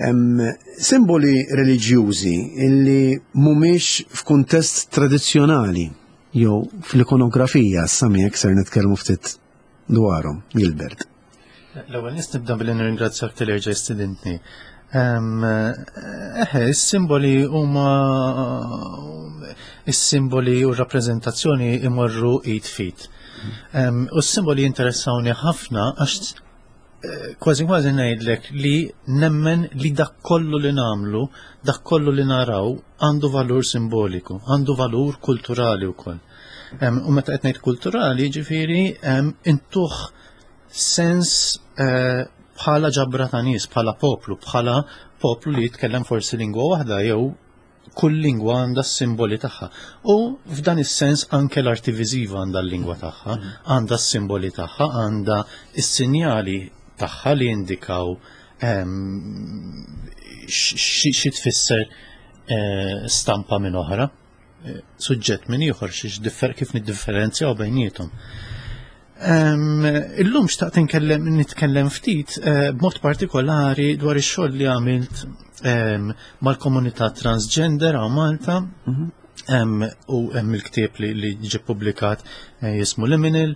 Em, simboli reliġjużi illi mhumiex f'kuntest tradizzjonali jew fl-ikonografija, samiek ser nitkellmu ftit dwarhom, Gilbert. L-ewwel nies nibda billi nirringrazzjak talli erġajt stidintni. Eħe, is-simboli huma, is-simboli u r-rappreżentazzjoni imorru id f'id. U s-simboli jinteressawni ħafna għax eh, kważi kważi ngħidlek li nemmen li dak kollu li nagħmlu, dak kollu li naraw għandu valur simboliku, għandu valur kulturali wkoll. U meta qed ngħid kulturali, ġifieri intuh sens eh, bħala ġabra ta' nies, bħala poplu, bħala poplu li jitkellem forsi lingwa waħda jew kull lingwa għandha s-simboli tagħha. U f'dan is-sens anke l-arti viżiva għandha l-lingwa tagħha, għandha s-simboli tagħha, għandha s-sinjali tagħha li jindikaw xi tfisser eh, stampa minn oħra, eh, suġġett minn ieħor, xi kif niddifferenzjaw bejniethom. Illum xtaqt nitkellem nitkellem ftit eh, b'mod partikolari dwar ix-xogħol li għamilt mal-komunità transgender hawn Malta. Mhm. U hemm il-ktieb li, li ġie publikat eh, jismu Liminal.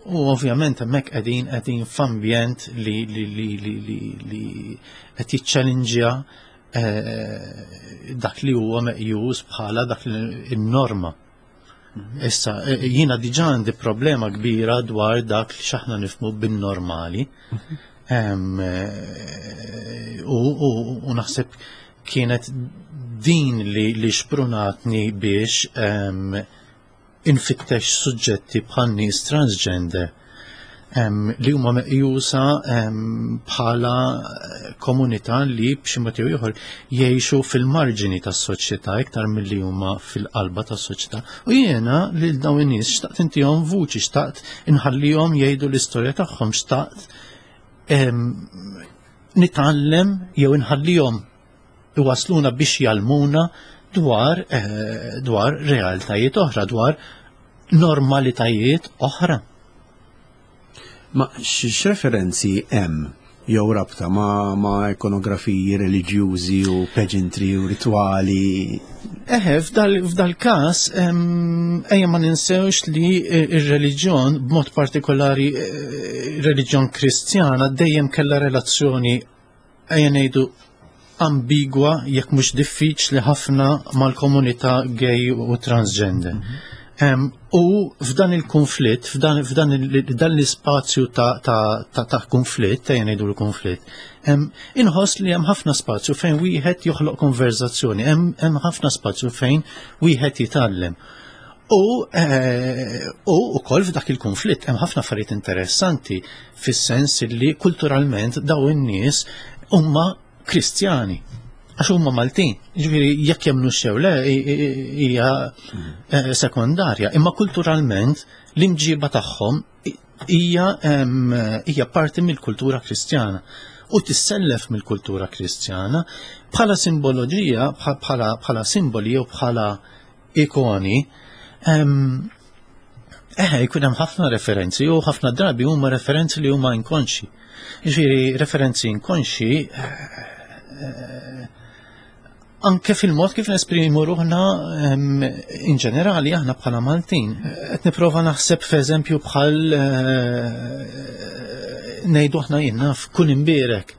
U ovvjament hemmhekk qegħdin qegħdin f'ambjent li li li li li, li qed jiċċellinġja eh, dak li huwa meqjus bħala dak in-norma. Issa, e, e, jiena diġà għandi problema kbira dwar dak li x'aħna nifhmu bin-normali. E, u naħseb kienet din li, li xprunatni biex infittex suġġetti bħal nies transgender li huma meqjusa bħala komunità li b'xi mod jew ieħor jgħixu fil-marġini tas-soċjetà iktar milli huma fil-qalba tas-soċjetà. U jiena lil dawn in-nies xtaqt intihom vuċi, xtaqt inħallihom jgħidu l-istorja tagħhom, xtaqt nitgħallem jew inħallihom iwasluna biex jgħallmuna dwar eh, dwar realtajiet oħra, dwar normalitajiet oħra. Ma x'referenzi hemm jew rabta ma, ma ikonografiji reliġjużi u pageantry u rituali? Eħe, f'dal każ, ejja ma ninsewx li ir-reliġjon, b'mod partikolari eh, reliġjon Kristjana, dejjem kellha relazzjoni, ejja ngħidu, ambigwa, jekk mhux diffiċli ħafna, mal-komunità gay u transgender. Mm -hmm. Um, u f'dan il-konflitt, f'dan, f'dan dan l-ispazju ta', ta, ta, ta konflitt, ta' jgħidu l-konflitt, um, inħoss li hemm ħafna spazju fejn wieħed joħloq konverzazzjoni, hemm ħafna spazju fejn wieħed jitgħallem. U eh, u ukoll f'dak il-konflitt hemm ħafna affarijiet interessanti fis-sens li kulturalment daw in-nies huma Kristjani għax huma Maltin. Ġifieri jekk jemmnu xew le hija eh, sekondarja, imma kulturalment l-imġiba tagħhom hija hija parti mill-kultura Kristjana u tissellef mill-kultura Kristjana bħala simboloġija, bħala bħala simboli jew bħala ikoni. Eħe, jkun hemm ħafna referenzi u ħafna drabi huma referenzi li huma inkonxi. Ġifieri referenzi inkonxi eh, anke fil-mod kif nesprimu ruħna in ġenerali aħna bħala Maltin. Qed nipprova naħseb f'eżempju bħal eh, ngħidu aħna jiena f'kun imbierek.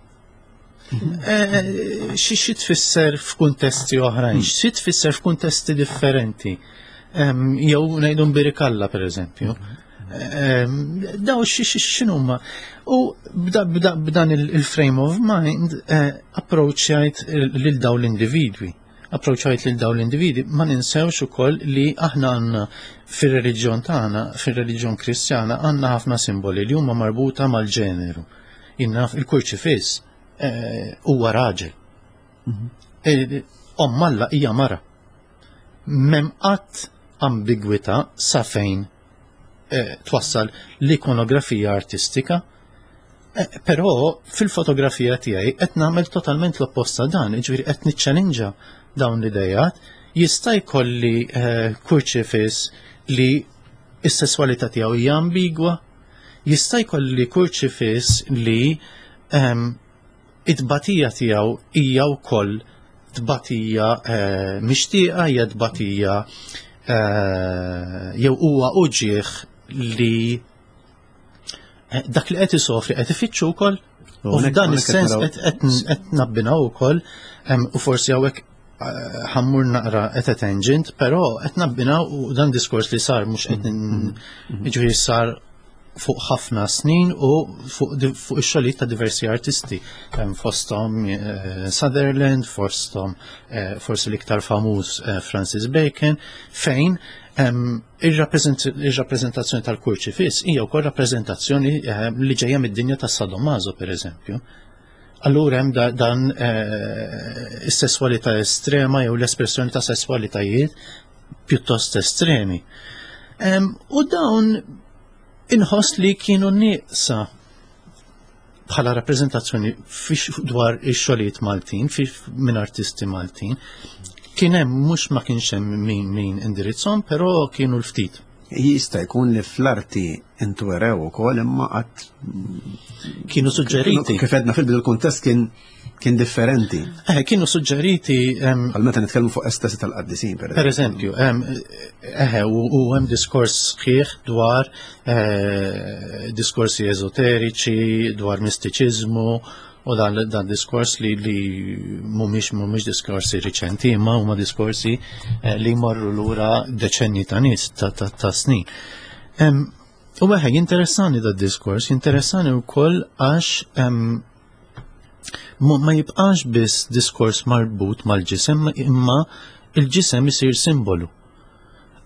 Eh, xi xi tfisser f'kuntesti oħrajn, xi tfisser f'kuntesti differenti? Jew ngħidu mbirikalla, pereżempju. Daw x'inhuma? U b'dan il-frame of mind eh, approachjajt lil daw l-individwi. Approċċajt lil dawn l-individi, ma ninsewx ukoll li aħna għandna fir-reliġjon tagħna, fir-reliġjon Kristjana, għandna ħafna simboli li huma marbuta mal-ġeneru. Inna il-kurċifiss eh, huwa raġel. Eh, Omm Alla hija mara. M'hemm qatt ambigwità sa fejn eh, twassal l-ikonografija artistika. Eh, Però fil-fotografija tiegħi qed nagħmel totalment l-oppost ta' dan, jiġifieri qed niċċelinġa dawn l-idejat, jista' jkolli eh, kurċifiss li s-sesswalità tiegħu hija ambigwa, jista' jkolli kurċifiss li ehm, it-tbatija tiegħu hija wkoll tbatija eh, mixtieqa, hija tbatija eh, jew huwa uġieħ li eh, dak li qed isofri qed ifittxu wkoll. U Hawnhekk- f'dan hawnhekk is-sens qed naraw- qed qed qed nabbinaw ukoll em, u forsi hawnhekk eh, ħa mmur naqra at a tangent, però qed nabbinaw u dan diskors li sar mhux qed jiġifieri sar fuq ħafna snin u fuq di- fuq ix-xogħlijiet ta' diversi artisti. Hemm fosthom eh, Sutherland, fosthom eh, forsi l-iktar famuż eh, Francis Bacon, fejn em, ir-rappreżent- ir-rappreżentazzjoni tal-kurċifiss hija wkoll rappreżentazzjoni eh, li ġejja mid-dinja tas-sadomaso pereżempju. Allura hemm da, dan eh, is-sesswalità estrema jew l-espressjoni ta' sesswalitajiet pjuttost estremi. Em, u dawn inħoss li kienu nieqsa bħala rappreżentazzjoni fix dwar ix-xogħlijiet Maltin, fi minn artisti Maltin. Kien hemm mhux ma kienx hemm min min indirizzhom, però kienu l-ftit. Jista' jkun li fl-arti intwerew ukoll imma qatt Kienu suġġeriti. Kif għedna fil-bidu l-kuntest kien kien differenti. Eh, kienu suġġeriti em, Għal meta nitkellmu fuq estasi tal-qaddisin, per Per eżempju, em, eħe, u u hemm diskors sħiħ dwar eh, diskorsi eżoteriċi, dwar mistiċiżmu, u dan, dan diskors li, li mhumiex mhumiex diskorsi riċenti, imma huma diskorsi eh, li jmorru lura deċenni ta' nies ta', ta, ta' snin. Em, u eħe, jinteressani da diskors, jinteressani wkoll għax em, ma ma jibqax biss diskors marbut mal-ġisem, imma il-ġisem isir simbolu.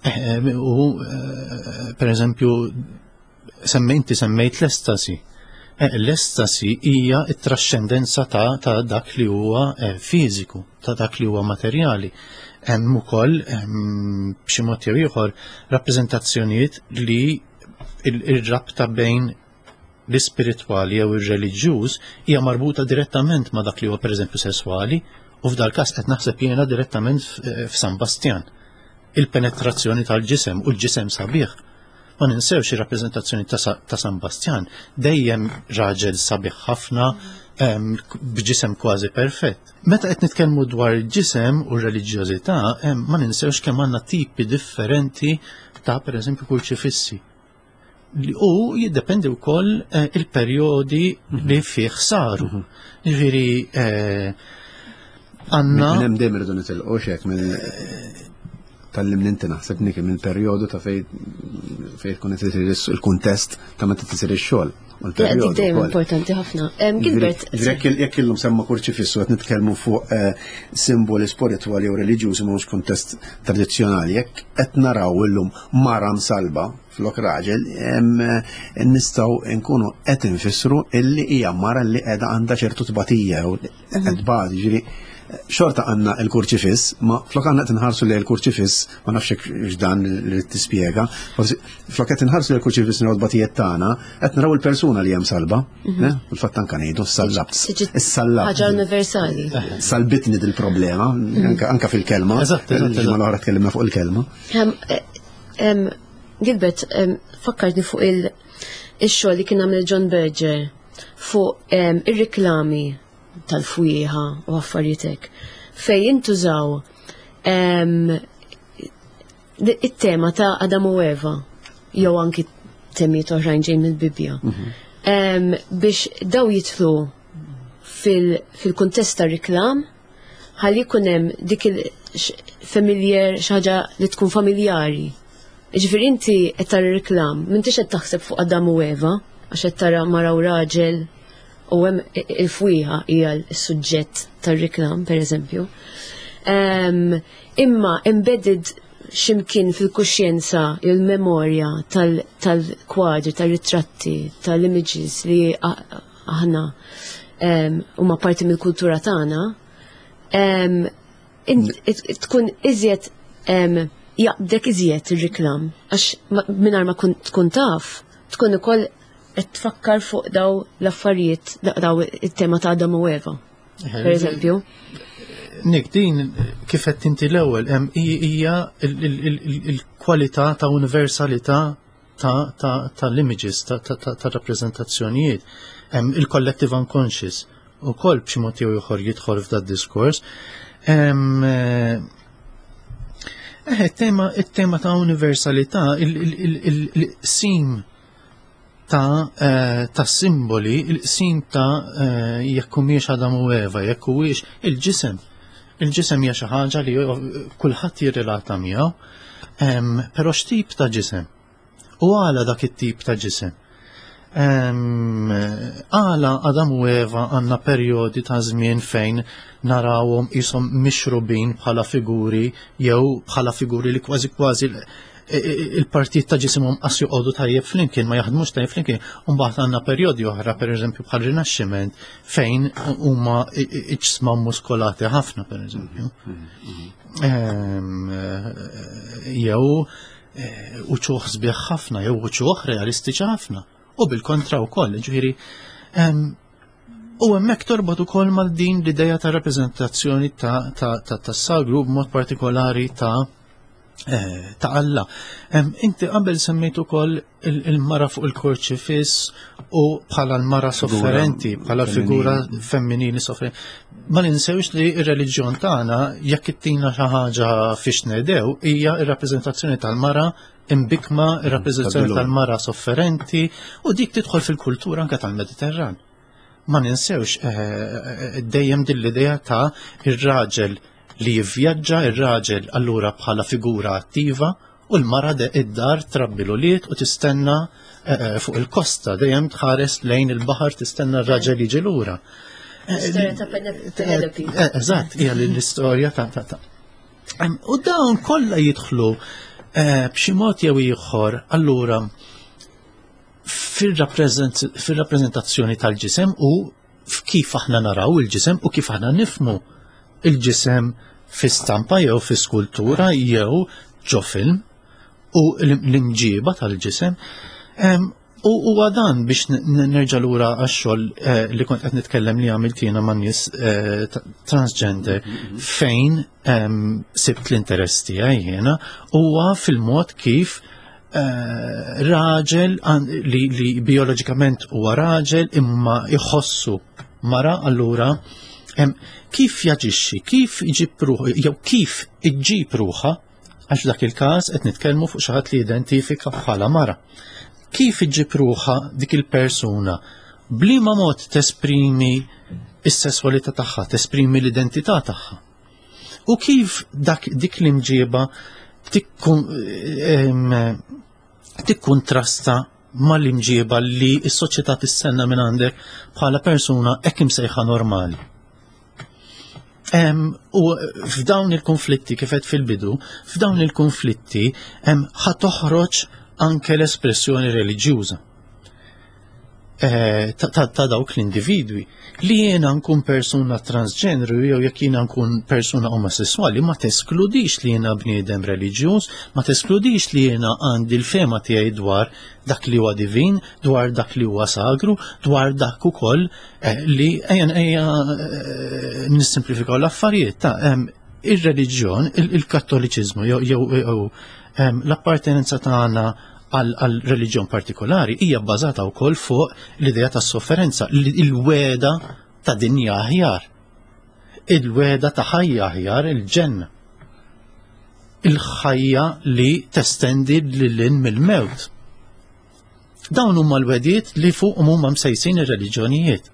Eh, U, eh, per eżempju, semmejti semmejt l-estasi. Eh, L-estasi hija t-trascendenza ta', ta' dak li huwa eh, fiżiku, ta' dak li huwa materjali. Hemm ukoll ehm, b'xi mod jew ieħor rappreżentazzjonijiet li il- ir-rabta bejn l-ispiritwali jew ir-reliġjuż hija marbuta direttament ma' dak li huwa pereżempju sesswali u f'dal każ qed naħseb jiena direttament f- f'San Bastjan. Il-penetrazzjoni tal-ġisem u l-ġisem sabiħ. Ma ninsewx ir-rappreżentazzjoni ta' Sa- ta' San Bastjan dejjem raġel sabiħ ħafna em, b'ġisem kważi perfett. Meta qed nitkellmu dwar il-ġisem u r-reliġjożità, em, ma ninsewx kemm għandna tipi differenti ta' pereżempju kurċifissi. Li- U jiddependi wkoll eh, il-perjodi li fih saru. Ġifieri eh, għandna Minn hemm dejjem irridu nitilqu xek minn tal-lim inti naħseb niki minn perjodu ta' fejn fejn tkun qed isir il-kuntest ta' meta tisir ix-xogħol. U Ja, l-perjodu dik dejjem wkoll. importanti ħafna. Em, Gilbert, Ġifieri jekk jekk illum semma kurċifissu qed nitkellmu fuq eh, simboli spiritwali jew reliġjużi mhux kuntest tradizzjonali, jekk qed naraw illum mara msalba flok raġel, em, eh, nistgħu nkunu qed infissru illi hija mara li qiegħda għandha ċertu tbatija jew qed tbati, ġifieri xorta għandna il-kurċifiss, ma flok għandna qed inħarsu li l-kurċifiss, ma nafx hekk x'dan li tispjega, forsi flok qed inħarsu li l-kurċifiss naraw tbatijiet tagħna, qed naraw il-persuna li hemm salba, ne? Fil-fatt anke ngħidu s-sallabt. Tiġi Is-sallabt. ħaġa universali. Salbitni dil-problema, anka, anka fil-kelma. Eżatt, eżatt, Il-ġimgħa eżatt. l-oħra tkellimna fuq il-kelma. Em, eh, em, Gilbert, em, fakkartni fuq il- il-xogħol li kien għamel John Berger fuq em, ir-riklami tal-fwieħa u affarijiet hekk fej jintużaw em, it-tema ta' Adam u Eva jew anki temijiet oħrajn ġejjin mill-Bibbja. Em, biex daw jidħlu fil- fil-kuntest ta' riklam ħalli jkun hemm dik il-familiar xi ħaġa li tkun familjari. Ġifieri inti qed tara reklam, m'intix qed taħseb fuq Adam u Eva, għax qed tara mara u raġel u hemm il-fwieħa hija s-suġġett tar-reklam, pereżempju. Um, imma embedded ximkien fil-kuxjenza, il-memorja tal-kwadri, tal-ritratti, tal-images li aħna huma parti mill-kultura tagħna, tkun iżjed jaqbdek iżjed ir-reklam, għax mingħajr ma tkun taf, tkun ukoll qed tfakkar fuq daw l-affarijiet, daw it-tema ta' Adam u Eva, per eżempju. Nick, din kif qed inti l-ewwel hemm hija il-kwalità ta' universalità tal-images, ta' rappreżentazzjonijiet. Il-collective unconscious ukoll b'xi mod jew ieħor jidħol f'dat diskors. Eh, it-tema ta' universalità, il-sim ta' ta' simboli, il-sim ta' jekk humiex Adam u Eva, jekk huwiex il-ġisem. Il-ġisem hija xi ħaġa li kulħadd jirrelata miegħu, però x'tip ta' ġisem? U għala dak it-tip ta' ġisem? Għala Adam u Eva għandna perjodi ta' żmien fejn narawhom qishom mixrubin bħala figuri jew bħala figuri li kważi kważi il-partit ta' ġisimhom qas joqogħdu tajjeb flimkien, ma jaħdmux tajjeb flimkien. U mbagħad għandna perjodi oħra, pereżempju bħal Rinaxximent, fejn huma iġsma muskolati ħafna, pereżempju. Jew uċuħ sbieħ ħafna, jew uċuħ realistiċi ħafna. U bil-kontra wkoll, ġifieri. U hemmhekk torbot ukoll mal din l-idea ta' rappreżentazzjoni ta' sagru b'mod partikolari ta' ta' Alla. Inti qabel semmejt ukoll il-mara fuq il-kurċifiss u bħala l-mara sofferenti, bħala figura femminili sofferenti. Ma ninsewx li r-reliġjon tagħna jekk ittina xi ħaġa fiex nedew hija r-rappreżentazzjoni tal-mara imbikma, ir-rappreżentazzjoni tal-mara sofferenti, u dik tidħol fil-kultura anke tal-Mediterran. Ma ninsewx dejjem din l-idea ta' ir-raġel li jivvjaġġa, ir-raġel allura bħala figura attiva, u l-mara id-dar trabbi l-ulied u tistenna fuq il-kosta, dejjem tħares lejn il-baħar tistenna r-raġel jiġi lura. L-istorja ta' Penelope. Eżatt, hija l-istorja ta' ta' ta' U dawn kollha jidħlu b'xi mod jew ieħor allura fir-rappreżentazzjoni tal-ġisem u kif aħna naraw il-ġisem u kif aħna nifmu il-ġisem fi stampa jew fi skultura jew ġo film u l-imġiba tal-ġisem. U huwa dan biex nerġa' lura għax-xogħol li kont qed nitkellem li għamilt jiena ma' nies transgender fejn sibt l-interess tiegħi jiena huwa fil-mod kif raġel li bioloġikament huwa raġel imma jħossu mara, allura kif jaġixxi, kif iġib ruħu, jew kif iġġib ruħha, għax dak il-każ qed nitkellmu fuq xi ħadd li identifika bħala mara. Kif iġġib ruħha dik il-persuna, bliema mod tesprimi s-sesswalità tagħha, tesprimi l-identità tagħha. U kif dak dik l-imġiba tikkuntrasta mal-imġiba li s-soċjetà tistenna minn għandek bħala persuna hekk imsejħa normali. U f'dawn il-konflitti, kif qed fil-bidu, f'dawn il-konflitti ħa toħroġ anke l-espressjoni reliġjuża ta' dawk l-individwi. Li jiena nkun persuna transġenru jew jekk jiena nkun persuna omosessuali ma teskludix li jiena bniedem reliġjuż, ma teskludix li jiena għandi l-fema tiegħi dwar dak li huwa divin, dwar dak li huwa sagru, dwar dak ukoll li ejja ejja nissimplifikaw l-affarijiet ta' ir-reliġjon, il-kattoliċiżmu jew l-appartenenza tagħna għal reliġjon partikolari hija bbażata wkoll fuq l-idea tas-sofferenza, il-weda ta' dinja aħjar, il-weda ta' ħajja aħjar, il-ġenna, il-ħajja li testendi lil mill-mewt. Dawn huma l-wedijiet li fuqhom huma msejsin ir-reliġjonijiet.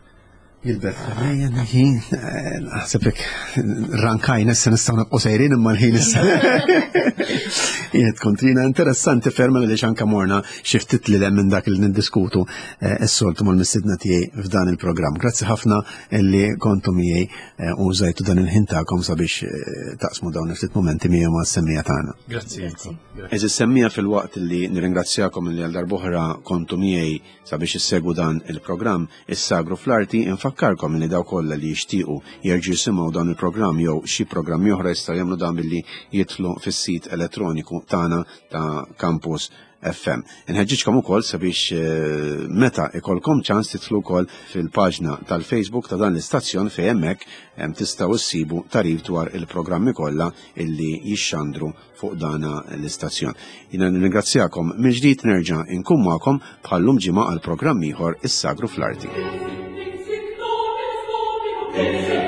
Gilbert, ħin, naħseb rankajna issa nistgħu nibqgħu sejrin imma l-ħin issa. Jiet kontrina interessanti ferm li anke morna xi ftit li minn dak li niddiskutu s-soltu mal-mistedna tiegħi f'dan il-programm. Grazzi ħafna li kontu miegħi u użajtu dan il-ħin tagħkom sabiex taqsmu dawn il-ftit momenti miegħi ma' s-semmiegħa tagħna. Grazzi. Għeżież semmiegħa, filwaqt li nirringrazzjakom li għal darb'oħra kontu miegħi sabiex issegwu dan il-programm Is-Sagru fl-Arti, infakkarkom li dawk kollha li jixtiequ jerġgħu jisimgħu dan il-programm jew xi programmi oħra jistgħu jagħmlu dan billi jidħlu fis-sit elettroniku tagħna ta' Campus F M. Inħeġġiġkom ukoll sabiex eh, meta ikolkom ċans tidħlu wkoll fil-paġna tal-Facebook ta' dan l-istazzjon, fejn hemmhekk tistgħu issibu tagħrif dwar il-programmi kollha illi jixxandru fuq dana l-istazzjon. Jiena nirringrazzjakom mill-ġdid, nerġa' inkun magħkom bħallum ġimgħa għal programm ieħor Is-Sagru fl-Arti. Thank you.